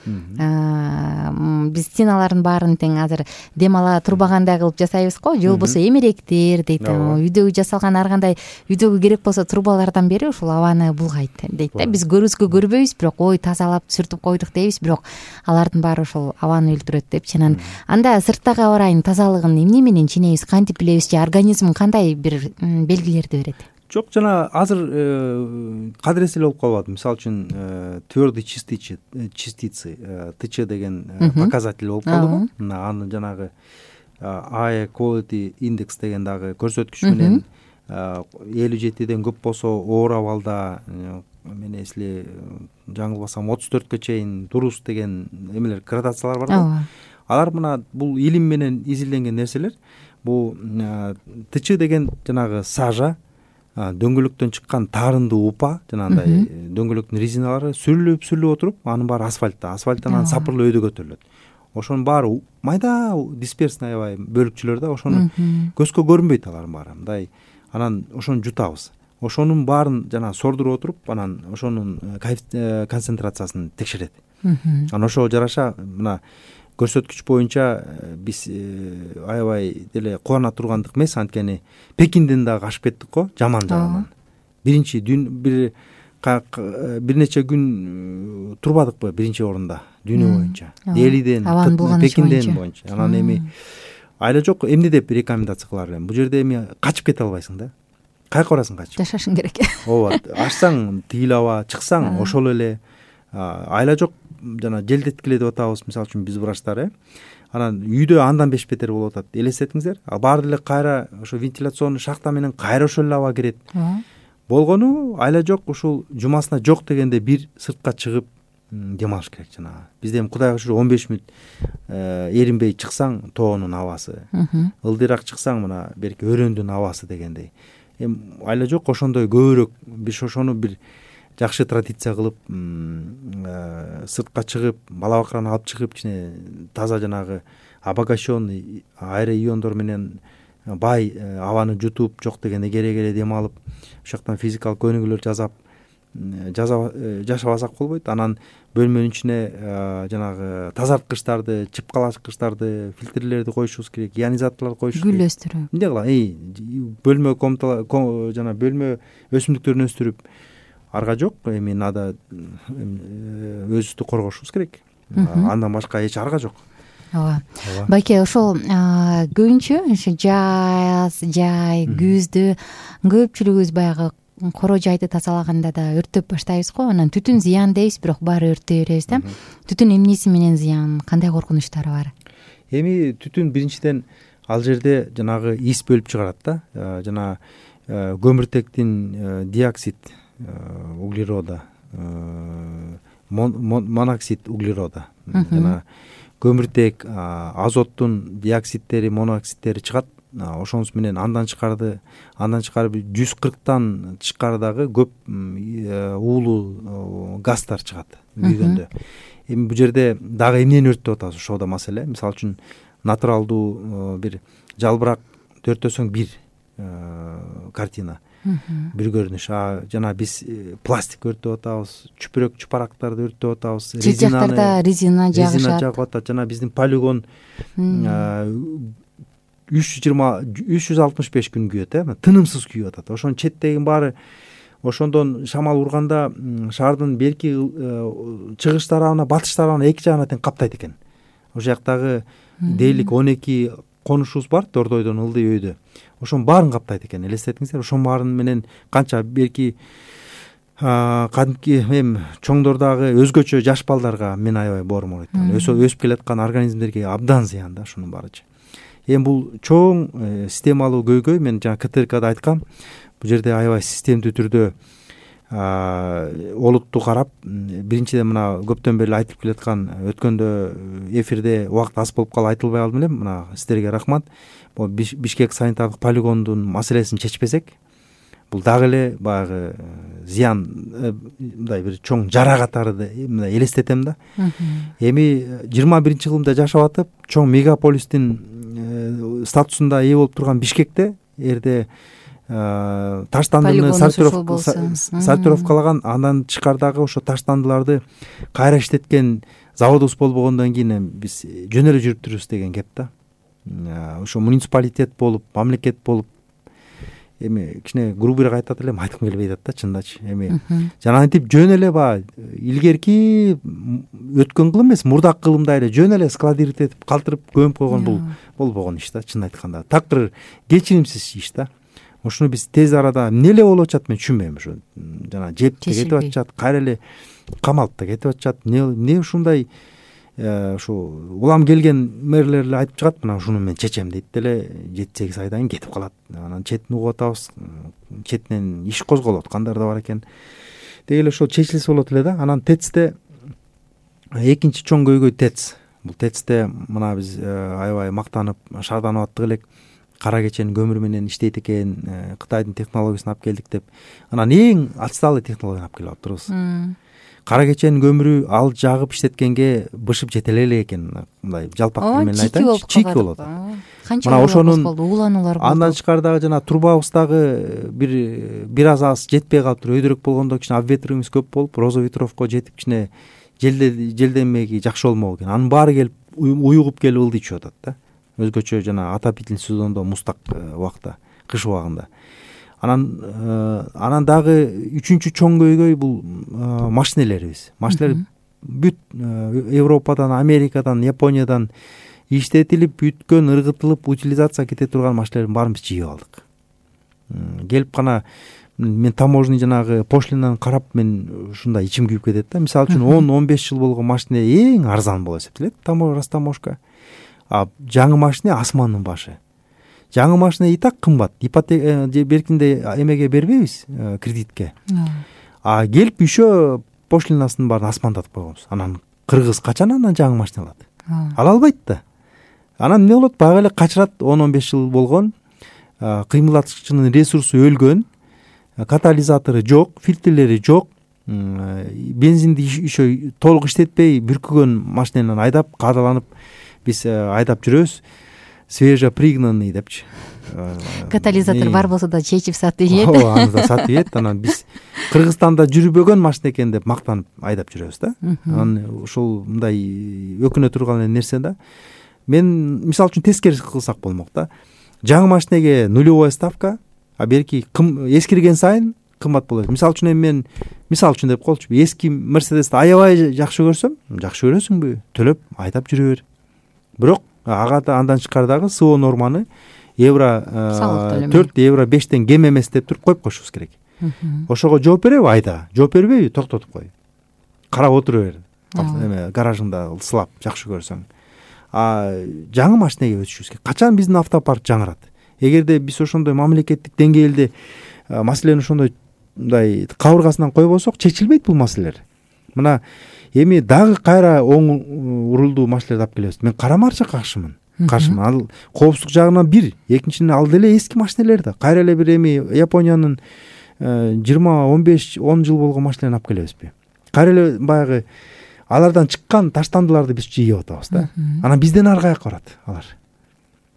биз стеналардын баарын тең азыр дем ала турбагандай кылып жасайбыз го, же болбосо эмеректер дейт. Үйдөгү жасалган ар кандай үйдөгү керек болсо трубалардан бери ушул абаны булгайт дейт да. Биз көрүүбүзгө көрбөйбүз, бирок ой тазалап сүртүп койдук дейбиз, бирок алардын баары ушул абаны өлтүрөт депчи. Анан анда сырттагы аба ырайынын тазалыгын эмне менен ченебиз, кантип билебиз, же организм кандай бир белгилерди берет? Жок, жана азыр кадырес эле болуп калбады. Мисалы үчүн твердый частицы, ТЧ деген показатель болуп калдыбы? Аны жанагы Air Quality Index деген дагы көрсөткүч менен 57ден көп болсо оор абалда, мен эсли жаңылбасам 34кө чейин дурус деген эмелер, градациялар бар го. Алар мына бул илим менен изилденген нерселер. Бул ТЧ деген жанагы сажа, дөңгөлөктөн чыккан таарындуу упа, жанагындай дөңгөлөктүн резиналары сүрүлүп отуруп, анын баары асфальттан анан сапырлуу өйдө көтөрүлөт. Ошонун баары майда дисперсный аябай бөлүкчөлөр да, ошону көзгө көрүнбөйт алардын баары. Мындай анан ошону жутабыз. Ошонун баарын жана сордуруп отуруп, анан ошонун концентрациясын текшерет. Анан ошого жараша мына көрсөткүч боюнча биз аябай деле кубана тургандык эмес, анткени Пекинден дагы ашып кеттик го, жаман жагынан. Биринчи бир нече күн турбадыкпы биринчи орунда дүйнө боюнча. Делиден, Пекинден боюнча. Анан эми айла жок, эмне деп рекомендация кылар элем? Бул жерде эми качып кете албайсың да. Кайка барасың качып? Жашашың керек. Ооба, ачсаң тыйыл аба, чыксаң ошол эле. Айла жок, жана желдеткиле деп атабыз, мисалы үчүн биз врачтар, анан үйдө андан бешбетер болуп атат. Элестетиңиздер, баары деле кайра ошо вентиляционный шахта менен кайра ошол эле аба кирет. Болгону айла жок, ушул жумасына жок дегенде бир сыртка чыгып дем алыш керек. Жанагы бизде эми Кудайга шүгүр 15 мүнөт эринбей чыксаң тоонун абасы, ылдыйраак чыксаң мына берки өрөөндүн абасы дегендей. Эми айла жок ошондой көбүрөөк биз ошону бир жакшы традиция кылып сыртка чыгып бала бакыраны алып чыгып кичине таза жанагы обогащенный аэроиондор менен бай абаны жутуп жок дегенде кере дем алып ошол жактан физикалык көнүгүүлөр жашабасак болбойт. Анан бөлмөнүн ичине жанагы тазарткычтарды, чыпкалачкычтарды, фильтрлерди коюшубуз керек, ионизаторлорду коюш керек. Гүл өстүрүү. Эмне кылам? Бөлмө жана бөлмө өсүмдүктөрүн өстүрүп арга жок. Эми надо өзүбүздү коргошубуз керек. Андан башка эч арга жок. Ооба. Байке, ошол көбүнчө ошо жай күздө көпчүлүгүбүз баягы коро жайды тазалаганда да өрттөп баштайбыз го. Анан түтүн зыян дейбиз, бирок баары өрттөй беребиз да. Түтүн эмнеси менен зыян, кандай коркунучтары бар? Эми түтүн биринчиден ал жерде жанагы ис бөлүп чыгарат да. Жана көмүртектин диоксид углерода, моноксид углерода, жана көмүртек, азоттун диоксидтери, моноксидтери чыгат. Ошонус менен андан тышкары 140тан тышкары дагы көп уулуу газдар чыгат күйгөндө. Эми бул жерде дагы эмнени өрттөп атабыз? Ошо да маселе. Мисалы үчүн натуралдуу бир жалбырак төртөсөң бир картина, бир көрүнүш. Жана биз пластик өрттөп атабыз, чүпүрөк чупарактарды өрттөп атабыз, резина жагып атат. Жана биздин полигон 365 күн күйөт, тынымсыз күйүп атат. Ошонун четтегин баары ошондон шамал урганда шаардын берки чыгыш тарабына, батыш тарабына эки жагына тең каптайт экен. Ошол жактагы дээрлик 12 конушубуз бар Дордойдон Ылдый өйдө. Ошонун баарын каптайт экен. Элестетиңиздер, ошонун баарын менен канча берки кадимки эми чоңдордогу өзгөчө жаш балдарга мен аябай боорум болот. Өсүп келаткан организмдерге абдан зыян да ушунун баарычы. Эми бул чоң системалуу көйгөй. Мен жана КТРКда айткам, бул жерде аябай системдүү түрдө олутту карап, биринчиден мына көптөн бери айтып келаткан, өткөндө эфирде убакыт аз болуп калып айтылбай калдым элем. Мына сиздерге рахмат. Бул Бишкек санитардык полигондун маселесин чечпесек, бул дагы эле баягы зыян, мындай бир чоң жара катары мындай элестетем да. Эми 21-кылымда жашап атып, чоң мегаполистин статусунда ээ болуп турган Бишкекте эрде таштандыны сортировкалаган, андан тышкардагы ошо таштандыларды кайра иштеткен заводубуз болбогондон кийин биз жөн эле жүрүп турубуз деген кеп да. Ошо муниципалитет болуп, мамлекет болуп, эми кичине грубыйраак айтат элем, айткым келбей атат да чындачы. Эми жана антип жөн эле баягы илгерки өткөн кылым эмес, мурдак кылымдай эле жөн эле складировать этип калтырып көмүп койгон бул болбогон иш да, чын айтканда. Такыр кечиримсиз иш да. Ошону биз тез арада эмне эле болуп атат мен түшүнбөйм. Ошо жана жеп да кетип атышат, кайра эле камалып да кетип атышат. Эмне ушундай ушу улам келген мэрлер эле айтып чыгат, мына ушуну мен чечем дейт деле 7-8 айдан кийин кетип калат. Анан четин угуп атабыз, четинен иш козголот, кандай да бар экен. Деги эле ошол чечилсе болот эле да. Анан ТЭЦте экинчи чоң көйгөй ТЭЦ. Бул ТЭЦте мына биз аябай мактанып, шаарданып аттык элек. Кара кечен көмүр менен иштейт экен, Кытайдын технологиясын алып келдик деп. Анан эң отсталый технологияны алып келип атырбыз. Кара кеченин көмүрү ал жагып иштеткенге бышып жете элек экен. Мындай жалпак тил менен айтайынчы, чийки болот. Мына ошонун улануулар болду. Андан тышкары жана трубабыздагы бир аз жетпей калыптыр, өйдөрөөк болгондо кичине обветриваемость көп болуп, розоветровко жетип кичине желденмеги жакшы болмок экен. Анын баары келип уюгуп келип ылдый чыгып атат да. Өзгөчө жана отопительный сезондо мустак убакта, кыш убагында. Анан дагы үчүнчү чоң көйгөй бул машинелерибиз. Машинелер бүт Европадан, Америкадан, Япониядан иштетилип, бүткөн, ыргытылып, утилизация кете турган машинелердин баарын биз жыйып алдык. Келип гана мен таможный жанагы пошлинаны карап мен ушундай ичим күйүп кетет да. Мисалы үчүн 10-15 жыл болгон машина эң арзан болуп эсептелет, Ростаможка. Жаңы машина асмандын башы. Жаңы машина и так кымбат. Ипотека беркинде эмеге бербейбиз, кредитке. Келип еще пошлинасын баарын асмандатып койгонбуз. Анан кыргыз качан анан жаңы машина алат? Ала албайт да. Анан эмне болот? Баягы эле качырат, 10-15 жыл болгон, кыймылдаткычынын ресурсу өлгөн, катализатору жок, фильтрлери жок, бензинди еще толук иштетпей бүркүгөн машинанан айдап, каадаланып биз айдап жүрөбүз. Свежепригнанный депчи. Катализатор бар болсо да чечип сатып ийет. Аны да сатып ийет. Анан биз Кыргызстанда жүрбөгөн машина экен деп мактанып айдап жүрөбүз да. Анан ушул мындай өкүнө турган нерсе да. Мен мисалы үчүн тескерис кылсак болмок да. Жаңы машинеге нулевой ставка, а берки эскирген сайын кымбат болот. Мисалы үчүн мен деп коелучу, эски Мерседести аябай жакшы көрсөм, жакшы көрөсүңбү? Төлөп айдап жүрө бер. Бирок ага да андан тышкары дагы СО норманы евро 4, евро 5тен кем эмес деп туруп коюп коюшубуз керек. Ошого жооп береби айда? Жооп бербейби? Токтотуп кой. Карап отура бер. Эме гаражыңда сылап жакшы көрсөң. Жаңы машинеге өтүшүбүз керек. Качан биздин автопарк жаңырат? Эгерде биз ошондой мамлекеттик деңгээлде маселени ошондой мындай кабыргасынан койбосок, чечилбейт бул маселелер. Мына эми дагы кайра оң урулдуу машиналерди алып келебиз. Мен карама-каршы каршымын. Ал коопсуздук жагынан бир, экинчиден ал деле эски машиналер да. Кайра эле бир эми Япониянын 20-15-10 жыл болгон машиналарын алып келебизби? Кайра эле баягы алардан чыккан таштандыларды биз жыйып атабыз да. Анан бизден ары каяка барат алар.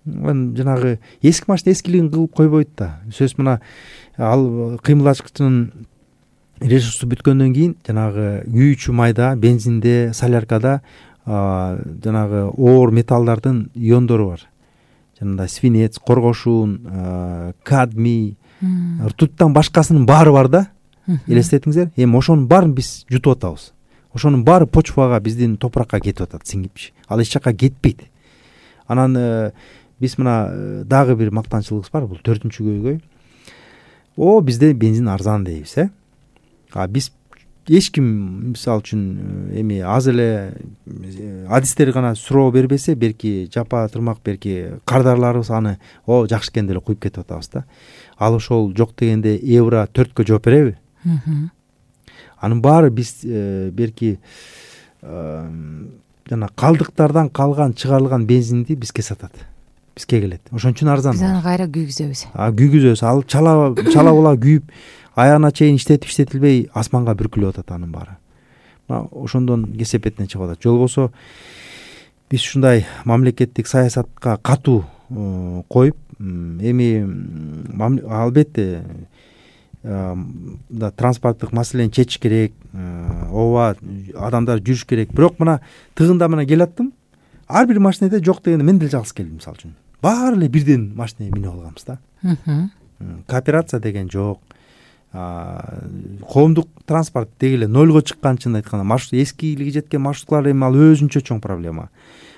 Жанагы эски машина эскилигин кылып койбойт да. Сөз мына ал кыймылдаткычынын ресурсу бүткөндөн кийин жанагы күйүүчү майда, бензинде, соляркада жанагы оор металлдардын иондору бар. Жанагы свинец, коргошун, кадмий, ртуттан башкасынын баары бар да. Элестетиңиздер? Эми ошонун баарын биз жутуп атабыз. Ошонун баары почвага, биздин топуракка кетип атат, сиңипчи. Ал эч жакка кетпейт. Анан биз мына дагы бир мактанчылыгыбыз бар, бул 4-чү көйгөй. Бизде бензин арзан дейбиз, биз эч ким мисалы үчүн эми аз эле адистер гана суроо бербесе, берки жапа тырмак, берки кардарларыбыз аны жакшы экен деле куюп кетип атабыз да. Ал ошол жок дегенде евро 4кө жооп береби? Анын баары биз берки жана калдыктардан калган чыгарылган бензинди бизге сатат. Бизге келет. Ошон үчүн арзан. Биз аны кайра күйгүзөбүз. Күйгүзөбүз. Ал чала була күйүп, аягына чейин иштетилбей асманга бүркүлүп атат анын баары. Ошондон кесепетине чыгып атат. Жол болсо биз ушундай мамлекеттик саясатка катуу коюп, эми албетте транспорттук маселени чечиш керек, ооба адамдар жүрүш керек. Бирок мына тыгында мына келаттым. Ар бир машинеде жок дегенде мен деле жалгыз келдим мисалы үчүн. Баары эле бирден машинеге минип алганбыз да. Кооперация деген жок. Коомдук транспорт деги эле нольго чыккан, чын айтканда. Маршрут эскилиги жеткен маршрутлар эми ал өзүнчө чоң проблема.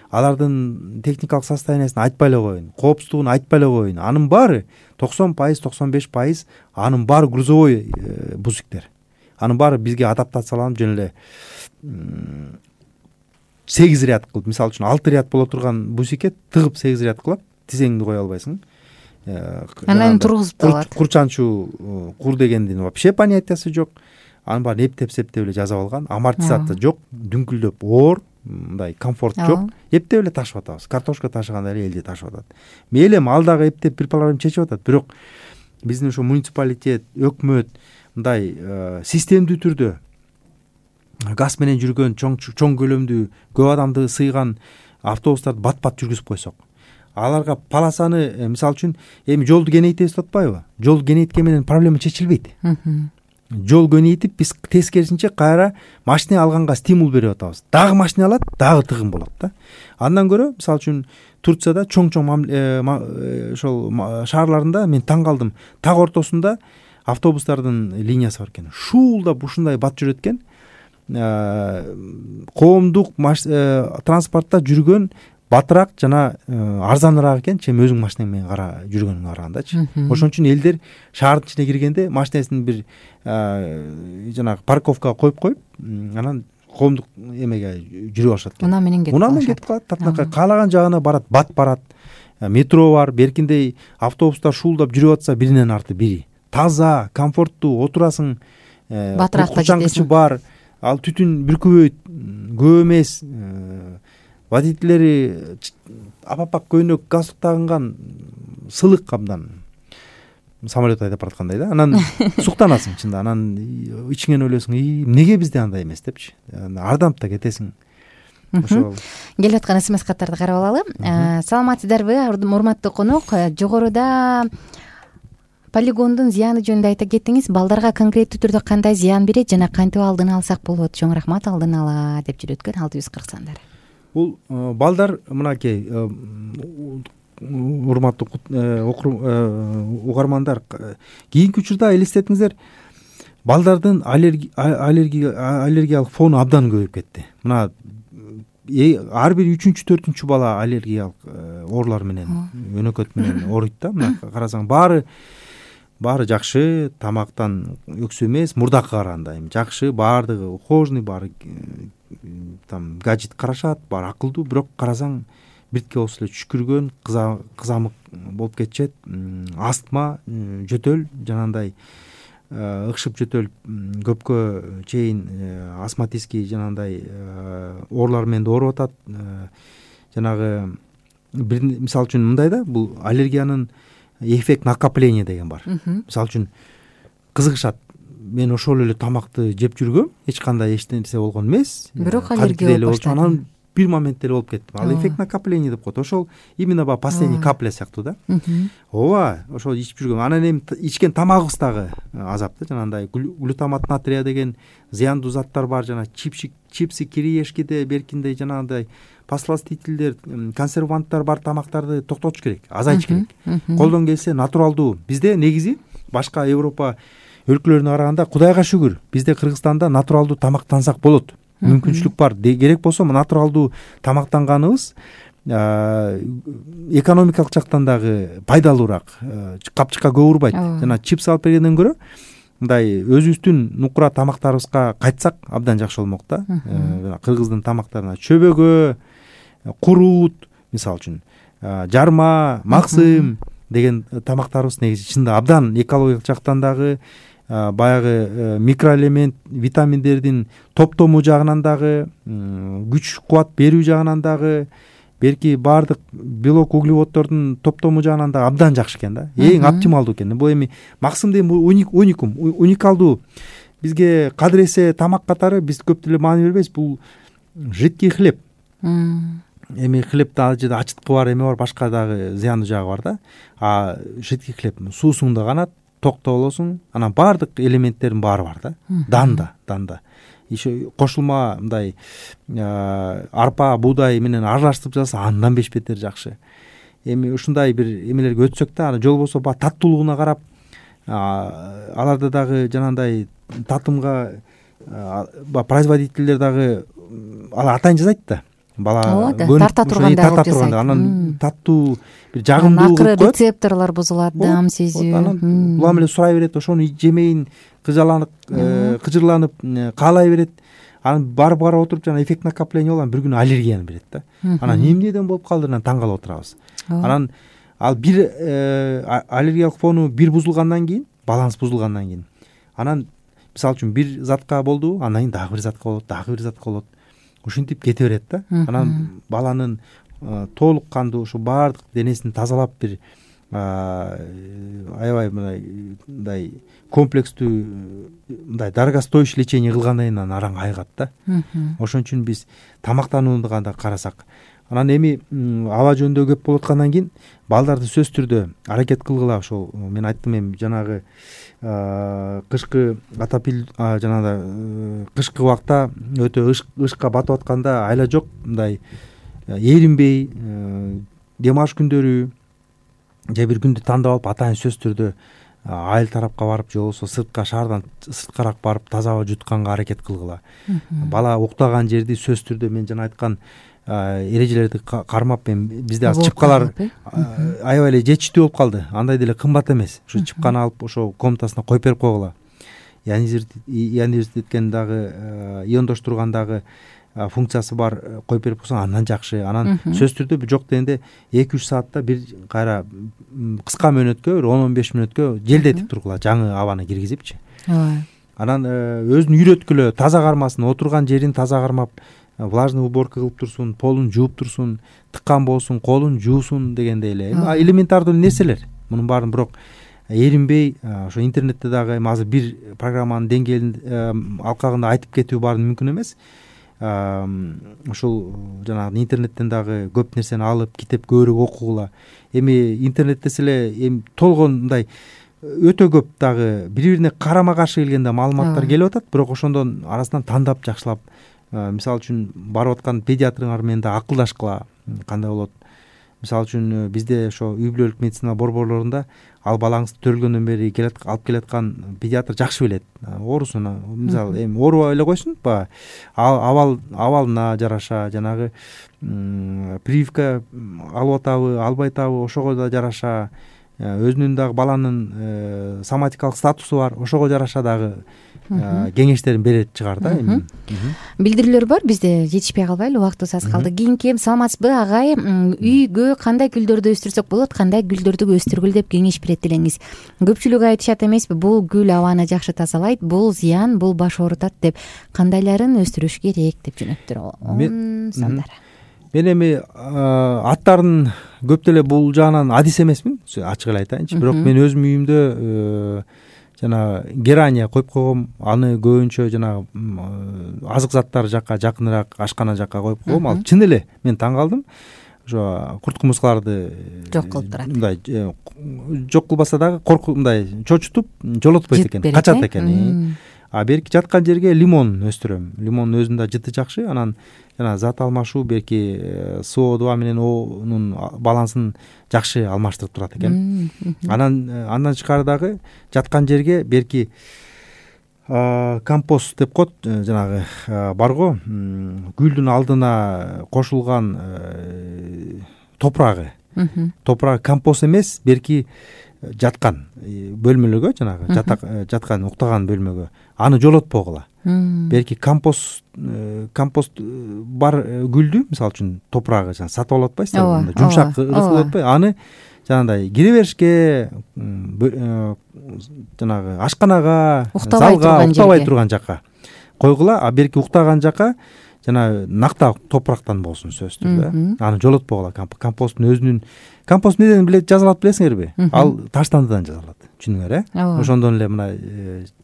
Алардын техникалык состояниясын айтпай эле коеюн, коопсуздугун айтпай эле коеюн. Анын баары 90%, 95% анын баары грузовой бузиктер. Анын баары бизге адаптацияланып жөн эле 8 ряд кылып, мисалы үчүн 6 ряд боло турган бусикет тыгып 8 ряд кылып, тизеңди кое албайсың. Анан тургузуп алат. Курчанчу кур дегендин вообще понятиясы жок. Анын баарын эптеп эле жазып алган. Амортизация жок, дүңкүлдөп оор, мындай комфорт жок. Эптеп эле ташып атабыз. Картошка ташыгандай эле элди ташып атат. Мейли эми ал дагы эптеп бир проблема чечип атат. Бирок биздин ошо муниципалитет, өкмөт мындай системдүү түрдө газ менен жүргөн чоң көлөмдүү көп адамды сыйган автобустарды бат-бат жүргүзүп койсок, аларга полосаны мисалы үчүн эми жолду кеңейтебиз деп атпайбы? Жолду кеңейткени менен проблема чечилбейт. Жол кеңейтип биз тескерисинче кайра машина алганга стимул берип атабыз. Дагы машина алат, дагы тыгын болот да. Андан көрө мисалы үчүн Турцияда чоң ошол шаарларында мен таң калдым. Так ортосунда автобустардын линиясы бар экен. Шуулдап ушундай бат жүрөт экен. Коомдук транспортто жүргөн батыраак жана арзаныраак экен, чем өзүң машинең менен жүргөнгө карагандачы. Ошон үчүн элдер шаардын ичине киргенде машинесин бир жанагы парковкага коюп, анан коомдук эмеге жүрүп алышат экен. Унаа менен кетип калат. Татынакай каалаган жагына барат, бат барат. Метро бар, беркиндей автобустар шуулдап жүрүп атса биринен арты бири. Таза, комфорттуу, отурасың. Батыракта жетесиң. Бар. ал түтүн бүркүбөйт, көп эмес, водительдери апапак көйнөк галстук тагынган, сылык абдан самолет айдап бараткандай да. Анан суктанасың чында, анан ичиңен ойлойсуң, эмнеге бизде андай эмес депчи, ардамап да кетесиң. Ошол келип аткан смс каттарды карап алалы. Саламатсыздарбы, урматтуу конок? Жогоруда полигондун зыяны жөнүндө айта кеттиңиз. Балдарга конкреттүү түрдө кандай зыян берет жана кантип алдын алсак болот? Чоң рахмат, алдын ала деп жүрөткөн 640 сандар. Бул балдар мынакей урматтуу угармандар, кийинки учурда элестетиңиздер, балдардын аллергиялык фону абдан көбөйүп кетти. Мына ар бир 3-4 бала аллергиялык оорулар менен, өнөкөт менен ооруйт да. Мына карасаң баары жакшы, тамактан өксүү эмес, мурдакка караганда эми жакшы, баардыгы ухожный, баары там гаджет карашат, баары акылдуу, бирок карасаң биртке болсо эле түшкүргөн, кызамык болуп кетишет, астма, жөтөл, жанагындай ыкшып жөтөл көпкө чейин астматический жанагындай оорулар менен да ооруп атат. Жанагы мисалы үчүн мындай да, бул аллергиянын эффект накопления деген бар. Мисалы үчүн кызыгышат, мен ошол эле тамакты жеп жүргөм, эч кандай нерсе болгон эмес, бирок аллергия болуп баштады. Анан бир моментте эле болуп кетти. Ал эффект накопления деп коет. Ошол именно баягы последний капля сыяктуу да. Ооба, ошол ичип жүргөм. Анан эми ичкен тамагыбыз дагы азап да. Жанагындай глутамат натрия деген зыяндуу заттар бар, жана чипсы, кириешкиде, беркинде жанагындай посластительдер, консерванттар бар тамактарды токтотуш керек, азайтыш керек. Колдон келсе натуралдуу. Бизде негизи башка Европа өлкөлөрүнө караганда, Кудайга шүгүр, бизде Кыргызстанда натуралдуу тамактансак болот. Мүмкүнчүлүк бар. Керек болсо натуралдуу тамактанганыбыз экономикалык жактан дагы пайдалуураак, капчыкка көп урбайт. Жана чипс алып бергенден көрө мындай өзүбүздүн нукура тамактарыбызга кайтсак абдан жакшы болмок да. Кыргыздын тамактарына чөбөгө, курут, мисалы үчүн жарма, максым деген тамактарыбыз негизи чында абдан экологиялык жактан дагы, баягы микроэлемент, витаминдердин топтому жагынан дагы, күч кубат берүү жагынан дагы, берки баардык белок углеводдордун топтому жагынан дагы абдан жакшы экен да. Эң оптималдуу экен. Бул эми максым деген уникалдуу. Бизге кадыр эсе тамак катары биз көп деле маани бербейбиз. Бул жидкий хлеб. Эми хлебте ал жерде ачыткы бар, эме бар, башка дагы зыяндуу жагы бар да. Жидкий хлеб суусуңда канат, токто болосуң, анан баардык элементтердин баары бар да. Данда. Еще кошулма мындай арпа, буудай менен аралаштырып жасаса андан 5 бетер жакшы. Эми ушундай бир эмелерге өтсөк да, аны жол болсо баягы таттуулугуна карап, аларда дагы жанагындай татымга производительдер дагы алар атайын жасайт да. Бала тарта турганда анан таттуу бир жагымдуулук коет. Акыры рецепторлор бузулат, дам сезүү. Анан улам эле сурай берет, ошону жемейин, кыжырланып каалай берет. Анан барып отуруп жана эффект накопления болгон бир күнү аллергияны берет да. Анан эмнеден болуп калды, анан таң калып отурабыз. Анан ал бир аллергиялык фону бир бузулгандан кийин, баланс бузулгандан кийин, анан мисалы үчүн бир затка болду, андан кийин дагы бир затка болот, дагы бир затка болот. Ушинтип кете берет да. Анан баланын толук кандуу ушу баардык денесин тазалап бир аябай мындай комплекстүү мындай дорогостоящий лечение кылгандан кийин анан араң айыгат да. Ошон үчүн биз тамактанууга да карасак, анан эми аба жөнүндө көп болуп аткандан кийин балдарды сөзсүз түрдө аракет кылгыла. Ошол мен айттым, эми жанагы кышкы атапил жанагы кышкы убакта өтө ышка батып атканда айла жок, мындай эринбей дем алыш күндөрү же бир күндү тандап алып атайын сөзсүз түрдө айыл тарапка барып же болбосо сыртка, шаардан сырткараак барып таза аба жутканга аракет кылгыла. Бала уктаган жерди сөзсүз түрдө мен жана айткан эрежелерди кармап, эми бизде азыр чыпкалар аябай эле жетиштүү болуп калды. Андай деле кымбат эмес. Ушу чыпканы алып ошо комнатасына коюп берип койгула. Ионизирткен дагы, иондоштурган дагы функциясы бар, коюп берип койсоң андан жакшы. Анан сөзсүз түрдө жок дегенде 2-3 саатта бир кайра кыска мөөнөткө, 10-15 мүнөткө желдетип тургула, жаңы абаны киргизипчи. анан өзүн үйрөткүлө, таза кармасын, отурган жерин таза кармап, влажный уборка кылып турсун, полун жууп турсун, тыккан болсун, колун жуусун дегендей эле элементардуу нерселер. Мунун баарын бирок эринбей ошо интернетте дагы азыр бир программанын деңгээлин алкагында айтып кетүү баарын мүмкүн эмес. Ушул жанагы интернеттен дагы көп нерсени алып, китеп көбүрөөк окугула. Эми интернет десе эле эми толгон мындай өтө көп дагы бири-бирине карама каршы келген да маалыматтар келип атат, бирок ошондон арасынан тандап жакшылап, мисалы үчүн барып аткан педиатрыңар менен да акылдашкыла, кандай болот. Мисалы үчүн бизде ошо үй бүлөлүк медицина борборлорунда ал балаңызды төрөлгөндөн бери алып келаткан педиатр жакшы билет. Оорусун мисалы эми оорубай эле койсун, баягы абалына жараша, жанагы прививка алып атабы, албай атабы, ошого да жараша, өзүнүн дагы баланын соматикалык статусу бар, ошого жараша дагы кеңештерин берет чыгар да. Эми билдирүүлөр бар, бизде жетишпей калбайлы, убактыбыз аз калды. Кийинки саламатсызбы агай, үйгө кандай гүлдөрдү өстүрсөк болот, кандай гүлдөрдү өстүргүл деп кеңеш берет делеңиз. Көпчүлүк айтышат эмеспи, бул гүл абаны жакшы тазалайт, бул зыян, бул баш оорутат деп. Кандайларын өстүрүш керек деп жөнөттүр сандар. Мен эми аттарын көп деле бул жагынан адис эмесмин, ачык эле айтайынчы. Бирок мен өзүм үйүмдө жана герания коюп койгом, аны көбүнчө жанагы азык заттар жакка жакыныраак, ашкана жакка коюп койгом. Ал чын эле мен таң калдым. Ошо курт кумурскаларды жок кылып турат. Мындай жок кылбаса дагы мындай чочутуп жолотпойт экен, качат экен. Берки жаткан жерге лимон өстүрөм. Лимондун өзүндө жыты жакшы, анан жана зат алмашуу берки СО2 менен О'нун балансын жакшы алмаштырып турат экен. Андан тышкары дагы жаткан жерге берки компост деп коет, жанагы барго гүлдүн алдына кошулган топурагы. Топурагы компост эмес, берки жаткан бөлмөлөргө, жанагы жаткан уктаган бөлмөгө аны жолотпогула. Берки компост бар гүлдү, мисалы үчүн топурагы сатып алып атпайсыздар, жумшак ырыс болуп атпайбы, аны жанагындай кире беришке, жанагы ашканага, залга, уктабай турган жакка койгула. Берки уктаган жакка жана накта топурактан болсун сөзсүз түрдө. Аны жолотпогула. Компосттун өзүнүн компост неден жазалат билесиңерби? Ал таштандыдан жазалат. Түшүнүңөр, ошондон эле мына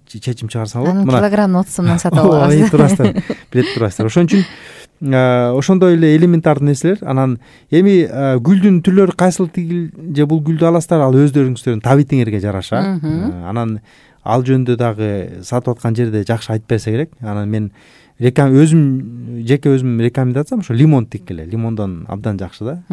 чечим чыгарсаң болот. Мына килограмм 30 сомдон сатып алабыз. Турасыздар, билет турасыздар. Ошон үчүн ошондой эле элементардуу нерселер. Анан эми гүлдүн түрлөрү кайсыл тигил же бул гүлдү аласыздар, ал өздөрүңүздөрдүн табитиңерге жараша. Анан ал жөнүндө дагы сатып аткан жерде жакшы айтып берсе керек. Анан мен жеке өзүм рекомендациям ошо лимон тиккиле. Лимондон абдан жакшы да.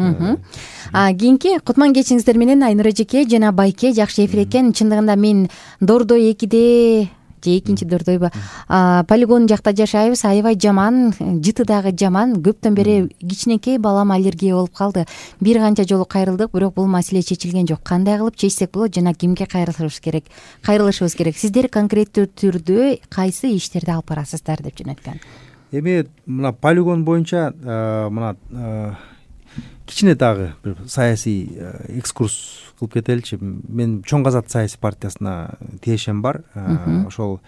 Кийинки кутман кечиңиздер менен Айнура эжеке жана Байке жакшы эфир экен. Чындыгында мен Дордой 2де же экинчи Дордойбу полигон жакта жашайбыз. Аябай жаман, жыты дагы жаман. Көптөн бери кичинекей балам аллергия болуп калды. Бир канча жолу кайрылдык, бирок бул маселе чечилген жок. Кандай кылып чечсек болот жана кимге кайрылышыбыз керек? Сиздер конкреттүү түрдө кайсы иштерди алып барасыздар деп жөнөткөн. Эми мына полигон боюнча мына кичине дагы бир саясий экскурс кылып кетеличи. Мен Чоң Казат саясий партиясына тиешем бар. Ошол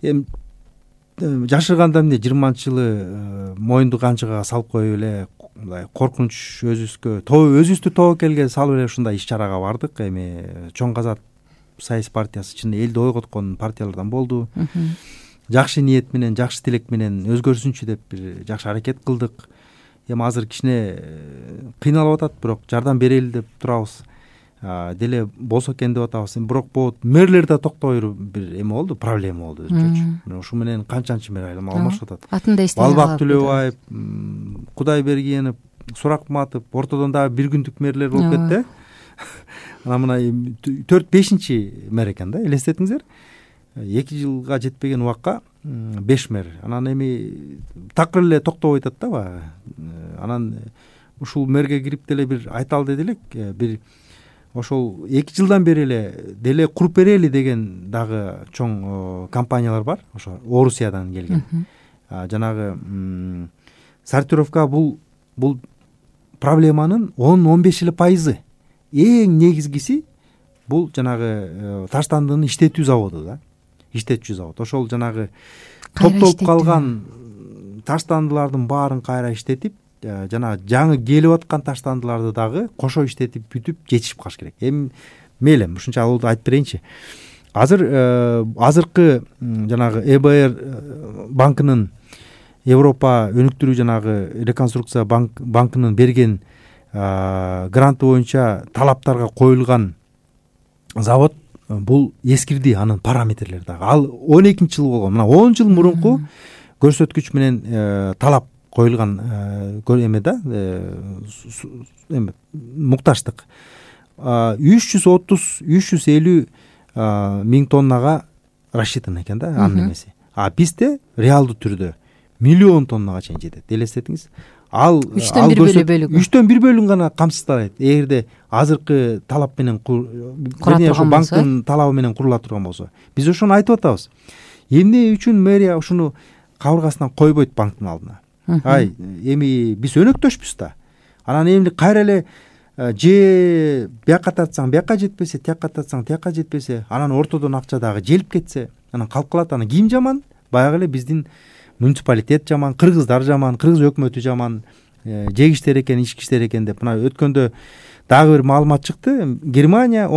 эми жашырганда эмне 20-жылы моюнду канчыга салып коюп эле мындай коркунуч өзүбүздү тобокелге салып эле ушундай иш чарага бардык. Эми Чоң Казат саясий партиясы чын элди ойготкон партиялардан болду. Жакшы ниет менен, жакшы тилек менен өзгөрсүнчү деп бир жакшы аракет кылдык. Эми азыр кичине кыйналып атат, бирок жардам берели деп турабыз. Деле болсо экен деп атабыз. Бирок бул мэрлер да токтобой бир эме болду, проблема болду өзүнчө. Ушу менен канчанчы мэр алмашып атат. Атын да эстей Балбак Төлөбаев, Кудайбергенов, Суракматов, ортодон дагы бир күндүк мэрлер болуп кетти. Анан мына 4-5 мэр экен да, элестетиңиздер. 2 жылга жетпеген убакка 5 мэр. Анан эми такыр эле токтобой атат да баягы. Анан ушул мэрге кирип деле бир айталы деди элек, бир ошол 2 жылдан бери эле деле куруп берели деген дагы чоң компаниялар бар. Ошо Орусиядан келген. Жанагы сортировка бул проблеманын 10-15% эң негизгиси бул жанагы таштандыны иштетүү заводу да. иштетчү завод. Ошол жанагы топтолуп калган таштандылардын баарын кайра иштетип, жанагы жаңы келип аткан таштандыларды дагы кошо иштетип бүтүп жетишип калыш керек. Эми мейли ушунча алууду айтып берейинчи. Азыркы жанагы ЭБР банкынын, Европа өнүктүрүү жанагы реконструкция банкынын берген гранты боюнча талаптарга коюлган завод бул эскирди, анын параметрлери дагы. Ал 12-жылы болгон. Мына 10 жыл мурунку көрсөткүч менен талап коюлган эме да, мукташтык 330-350 миң тоннага рассчитан экен да анын эмеси. А бизде реалдуу түрдө миллион тоннага чейин жетет. Элестетиңиз. Ал 1/3 бөлүгүн гана камсыздайт. Эгерде азыркы талап менен банктын талабы менен курула турган болсо. Биз ошону айтып атабыз. Эмне үчүн мэрия ушуну кабыргасынан койбойт банктын алдына? Ай, эми биз өнөктөшпүз да. Анан эмне кайра эле же бияка тартсаң бияка жетпесе, тияка тартсаң тияка жетпесе, анан ортодон акча дагы желип кетсе, анан калып калат. Анан ким жаман? Баягы эле биздин муниципалитет жаман, кыргыздар жаман, кыргыз өкмөтү жаман, жегиштер экен, ичкиштер экен деп. Мына өткөндө дагы бир маалымат чыкты. Германия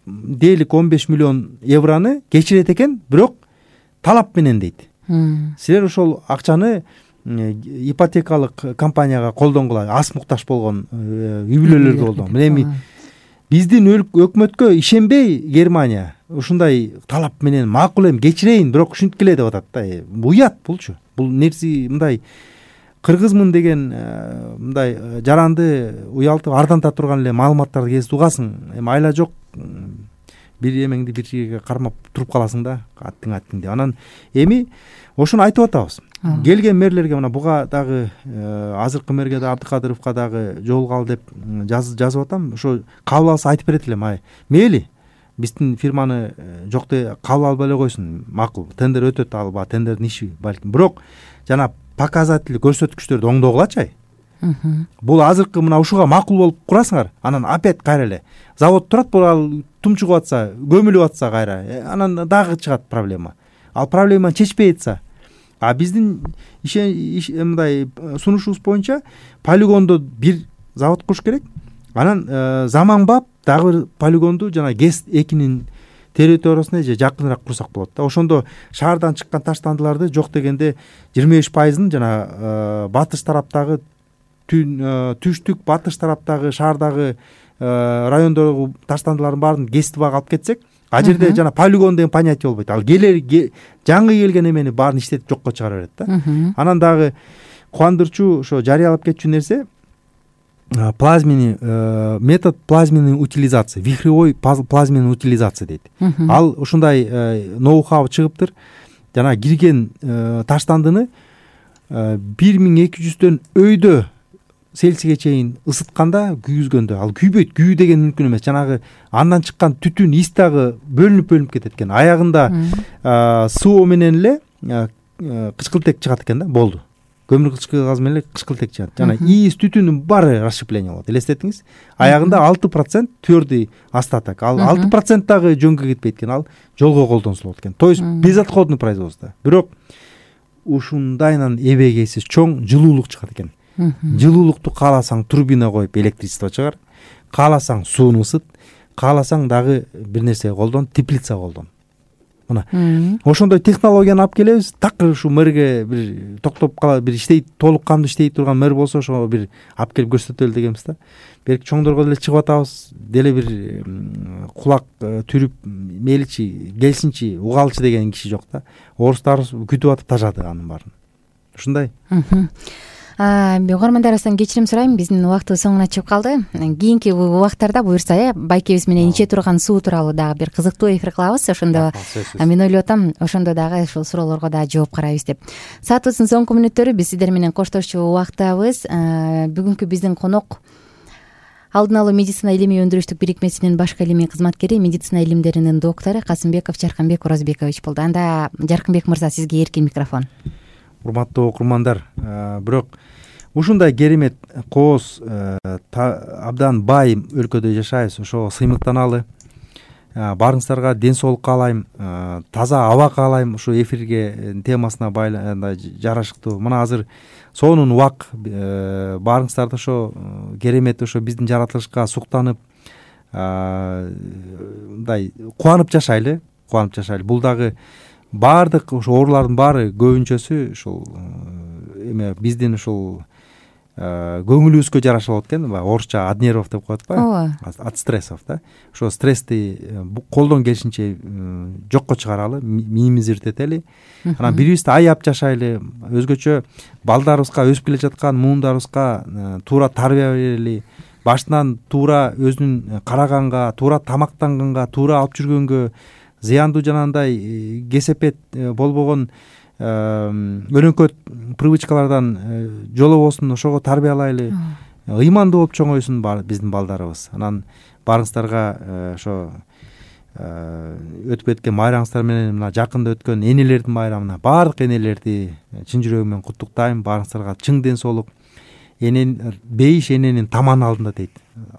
дээрлик 15 миллион евроны кечирет экен, бирок талап менен дейт. Силер ошол акчаны ипотекалык компанияга колдонгула, аз муктаж болгон үй бүлөлөргө колдонгула. Эми биздин өкмөткө ишенбей Германия ушундай талап менен макул эми кечирейин, бирок ушинткиле деп атат да. Уят булчу. Бул нерсе мындай кыргызмын деген мындай жаранды уялтып ардanta турган эле маалыматтарды кезип угасың. Эми айла жок, бир эмеңди бир жерге кармап туруп каласың да, аттың деп. Анан эми ошону айтып атабыз. Келген мэрлерге, мына буга дагы азыркы мэрге да, Абдыкадыровго дагы жолугалы деп жазып атам. Ошо кабыл алса айтып берет элем. Мейли биздин фирманы жокто кабыл албай эле койсун, макул. Тендер өтөт, алба тендердин иши балким. Бирок жана показатель көрсөткүчтөрдү оңдогулачы. Бул азыркы мына ушуга макул болуп курасыңар, анан опять кайра эле завод турат, ал тумчугуп атса, көмүлүп атса кайра, анан дагы чыгат проблема. Ал проблеманы чечпей атса, биздин мындай сунушубуз боюнча полигондо бир завод куруш керек. Анан заманбап дагы бир полигонду жана ГЭС-2нин территориясына же жакыныраак курсак болот да. Ошондо шаардан чыккан таштандыларды жок дегенде 25%-ын жана батыш тараптагы түштүк, батыш тараптагы шаардагы райондогу таштандылардын баарын ГЭС-2га алып кетсек, а жерде жана полигон деген понятие болбойт. Ал жаңы келген эмени баарын иштетип жокко чыгара берет да. Анан дагы кубандырчу ошо жарыялап кетчү нерсе метод плазменной утилизации, вихревой плазменной утилизация дейт. Ал ушундай ноу-хау чыгыптыр. Жана кирген таштандыны 1200дөн өйдө Цельсийге чейин ысытканда, күйгүзгөндө, ал күйбөйт. Күйүү деген мүмкүн эмес. Жанагы андан чыккан түтүн, ис дагы бөлүнүп кетет экен. Аягында СО менен эле кычкылтек чыгат экен да, болду. Көмүр кычкыл газ менен эле кычкылтек чыгат. Жана ис, түтүнүн баары расщепление болот. Элестетиңиз. Аягында 6% твердый остаток. Ал 6% дагы жөнгө кетпейт экен. Ал жолго колдонсо болот экен. То есть безотходный производство. Бирок ушундайынан эбегейсиз чоң жылуулук чыгат экен. Жылуулукту кааласаң турбина коюп электричество чыгар, кааласаң сууну ысыт, кааласаң дагы бир нерсе колдон, теплица колдон. Мына ошондой технологияны алып келебиз. Такыр ушу мэрге бир токтоп кала, бир иштейт, толук кандуу иштей турган мэр болсо, ошого бир алып келип көрсөтөлү дегенбиз да. Берки чоңдорго деле чыгып атабыз, деле бир кулак түрүп мейличи, келсинчи, угалчы деген киши жок да. Орустар күтүп атып тажады анын баарын. Ушундай. Угармандар арасынан кечирим сурайм, биздин убактыбыз соңуна чыгып калды. Кийинки убактарда буюрса, байкебиз менен иче турган суу тууралуу дагы бир кызыктуу эфир кылабыз. Ошондо мен ойлоп атам, ошондо дагы ушул суроолорго дагы жооп карайбыз деп. Саатыбыздын соңку мүнөттөрү биз сиздер менен коштошчу убактабыз. Бүгүнкү биздин конок алдын алуу медицина илимий өндүрүштүк бирикмесинин башкы илимий кызматкери, медицина илимдеринин доктору Касымбеков Жаркынбек Оразбекович болду. Анда Жаркынбек мырза, сизге эркин микрофон. Урматтуу окурмандар, бирок ушундай керемет кооз абдан бай өлкөдө жашайбыз. Ошого сыймыктаналы. баарыңыздарга ден соолук каалайм, таза аба каалайм. Ушу эфирге темасына жарашыктуу мына азыр сонун убак баарыңыздарды ошо керемет ошо биздин жаратылышка суктанып мындай кубанып жашайлы. Бул дагы баардык ошо оорулардын баары көбүнчөсү ушул эме биздин ушул көңүлүбүзгө жараша болот экен. Баягы орусча от нервов деп коет го, от стрессов да. Ошо стрессти колдон келишинче жокко чыгаралы, минимизировать анан бирибизди аяп жашайлы. Өзгөчө балдарыбызга, өсүп келе жаткан муундарыбызга туура тарбия берели. Башынан туура өзүнүн караганга, туура тамактанганга, туура алып жүргөнгө, зыяндуу жанагындай кесепет болбогон өнөкөт привычкалардан жолобосун, ошого тарбиялайлы. Ыймандуу болуп чоңойсун биздин балдарыбыз. Анан баарыңыздарга ошо өтүп кеткен майрамыңыздар менен мына жакында өткөн энелердин майрамына баардык энелерди чын жүрөгүм менен куттуктайм. Баарыңыздарга чың ден соолук. Бейиш эненин таманы алдында дейт.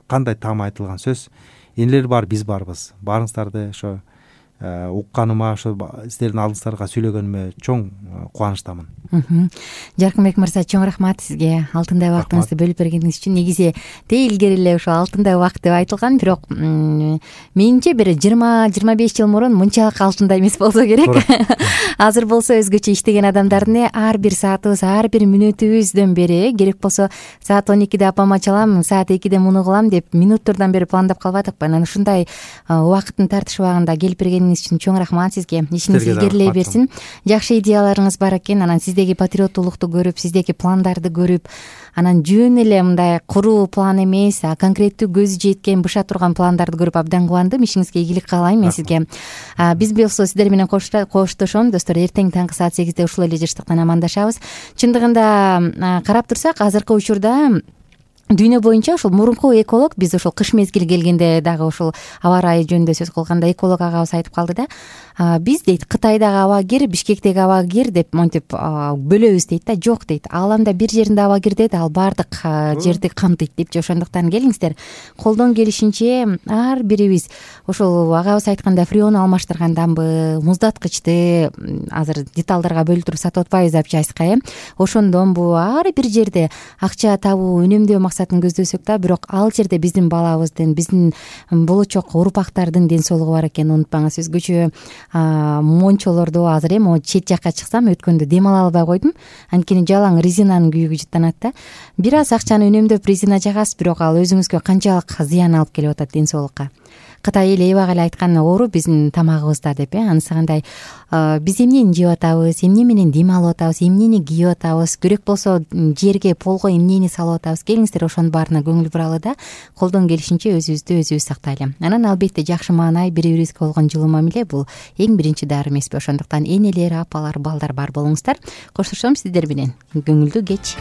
Кандай там айтылган сөз. Энелер бар, биз барбыз. Баарыңыздарды ошо укканыма, ошо сиздердин алдыңыздарга сүйлөгөнүмө чоң кубанычтамын. Жаркынбек мырза, чоң рахмат сизге алтындай убактыңызды бөлүп бергениңиз үчүн. Негизи илгери эле ошо алтындай убакыт деп айтылган, бирок менимче бир 20-25 жыл мурун мынчалык алтындай эмес болсо керек. Азыр болсо өзгөчө иштеген адамдардын ар бир саатыбыз, ар бир мүнөтүбүздөн бери керек болсо саат 12-де апама чалам, саат 2-де муну кылам деп минуттордон бери пландап калбадыкпы. Анан ушундай убакыттын тартыш убагында келип бергениңиз үчүн чоң рахмат сизге. Ишиңиз илгерилей берсин. Жакшы идеяларыңыз бар экен. Анан сиздеги патриоттуулукту көрүп, сиздеги пландарды көрүп, анан жөн эле мындай куруу план эмес, конкреттүү көзү жеткен, быша турган пландарды көрүп абдан кубандым. Ишиңизге ийгилик каалайм мен сизге. Биз болсо сиздер менен коштошом достор. Эртең таңкы саат 8-де ушул эле жыштыктан амандашабыз. Чындыгында карап турсак, азыркы учурда дүйнө боюнча ушул мурунку эколог, биз ушул кыш мезгили келгенде дагы ушул аба ырайы жөнүндө сөз кылганда эколог агабыз айтып калды да. Биз дейт Кытайдагы аба кир, Бишкектеги аба кир деп монтип бөлөбүз дейт да. Жок дейт. Ааламда бир жеринде аба кир дейт, ал баардык жерди камтыйт депчи. Ошондуктан келиңиздер, колдон келишинче ар бирибиз ошол агабыз айтканда фреон алмаштырган дамбы, муздаткычты азыр деталдарга бөлүп туруп сатып атпайбыз апчайска, ошондонбу ар бир жерде акча табуу, үнөмдөө максатын көздөсөк да, бирок ал жерде биздин балабыздын, биздин болочок урпактардын ден соолугу бар экенин унутпаңыз. Өзгөчө мончолордо азыр чет жакка чыксам, өткөндө дем ала албай койдум. Анткени жалаң резинанын күйүгү жыттанат да. Бир аз акчаны үнөмдөп резина жагасыз, бирок ал өзүңүзгө канчалык зыян алып келип атат ден соолукка. Кытай эли эбак эле айткан оору биздин тамагыбызда деп, анысы кандай биз эмнени жеп атабыз, эмне менен дем алып атабыз, эмнени кийип атабыз, керек болсо жерге, полго эмнени салып атабыз. Келиңиздер, ошонун баарына көңүл буралы да, колдон келишинче өзүбүздү өзүбүз сактайлы. Анан албетте жакшы маанай, бири-бирибизге болгон жылуу мамиле бул эң биринчи дары эмеспи. Ошондуктан энелер, апалар, балдар бар болуңуздар. Коштошом сиздер менен. Көңүлдүү кеч.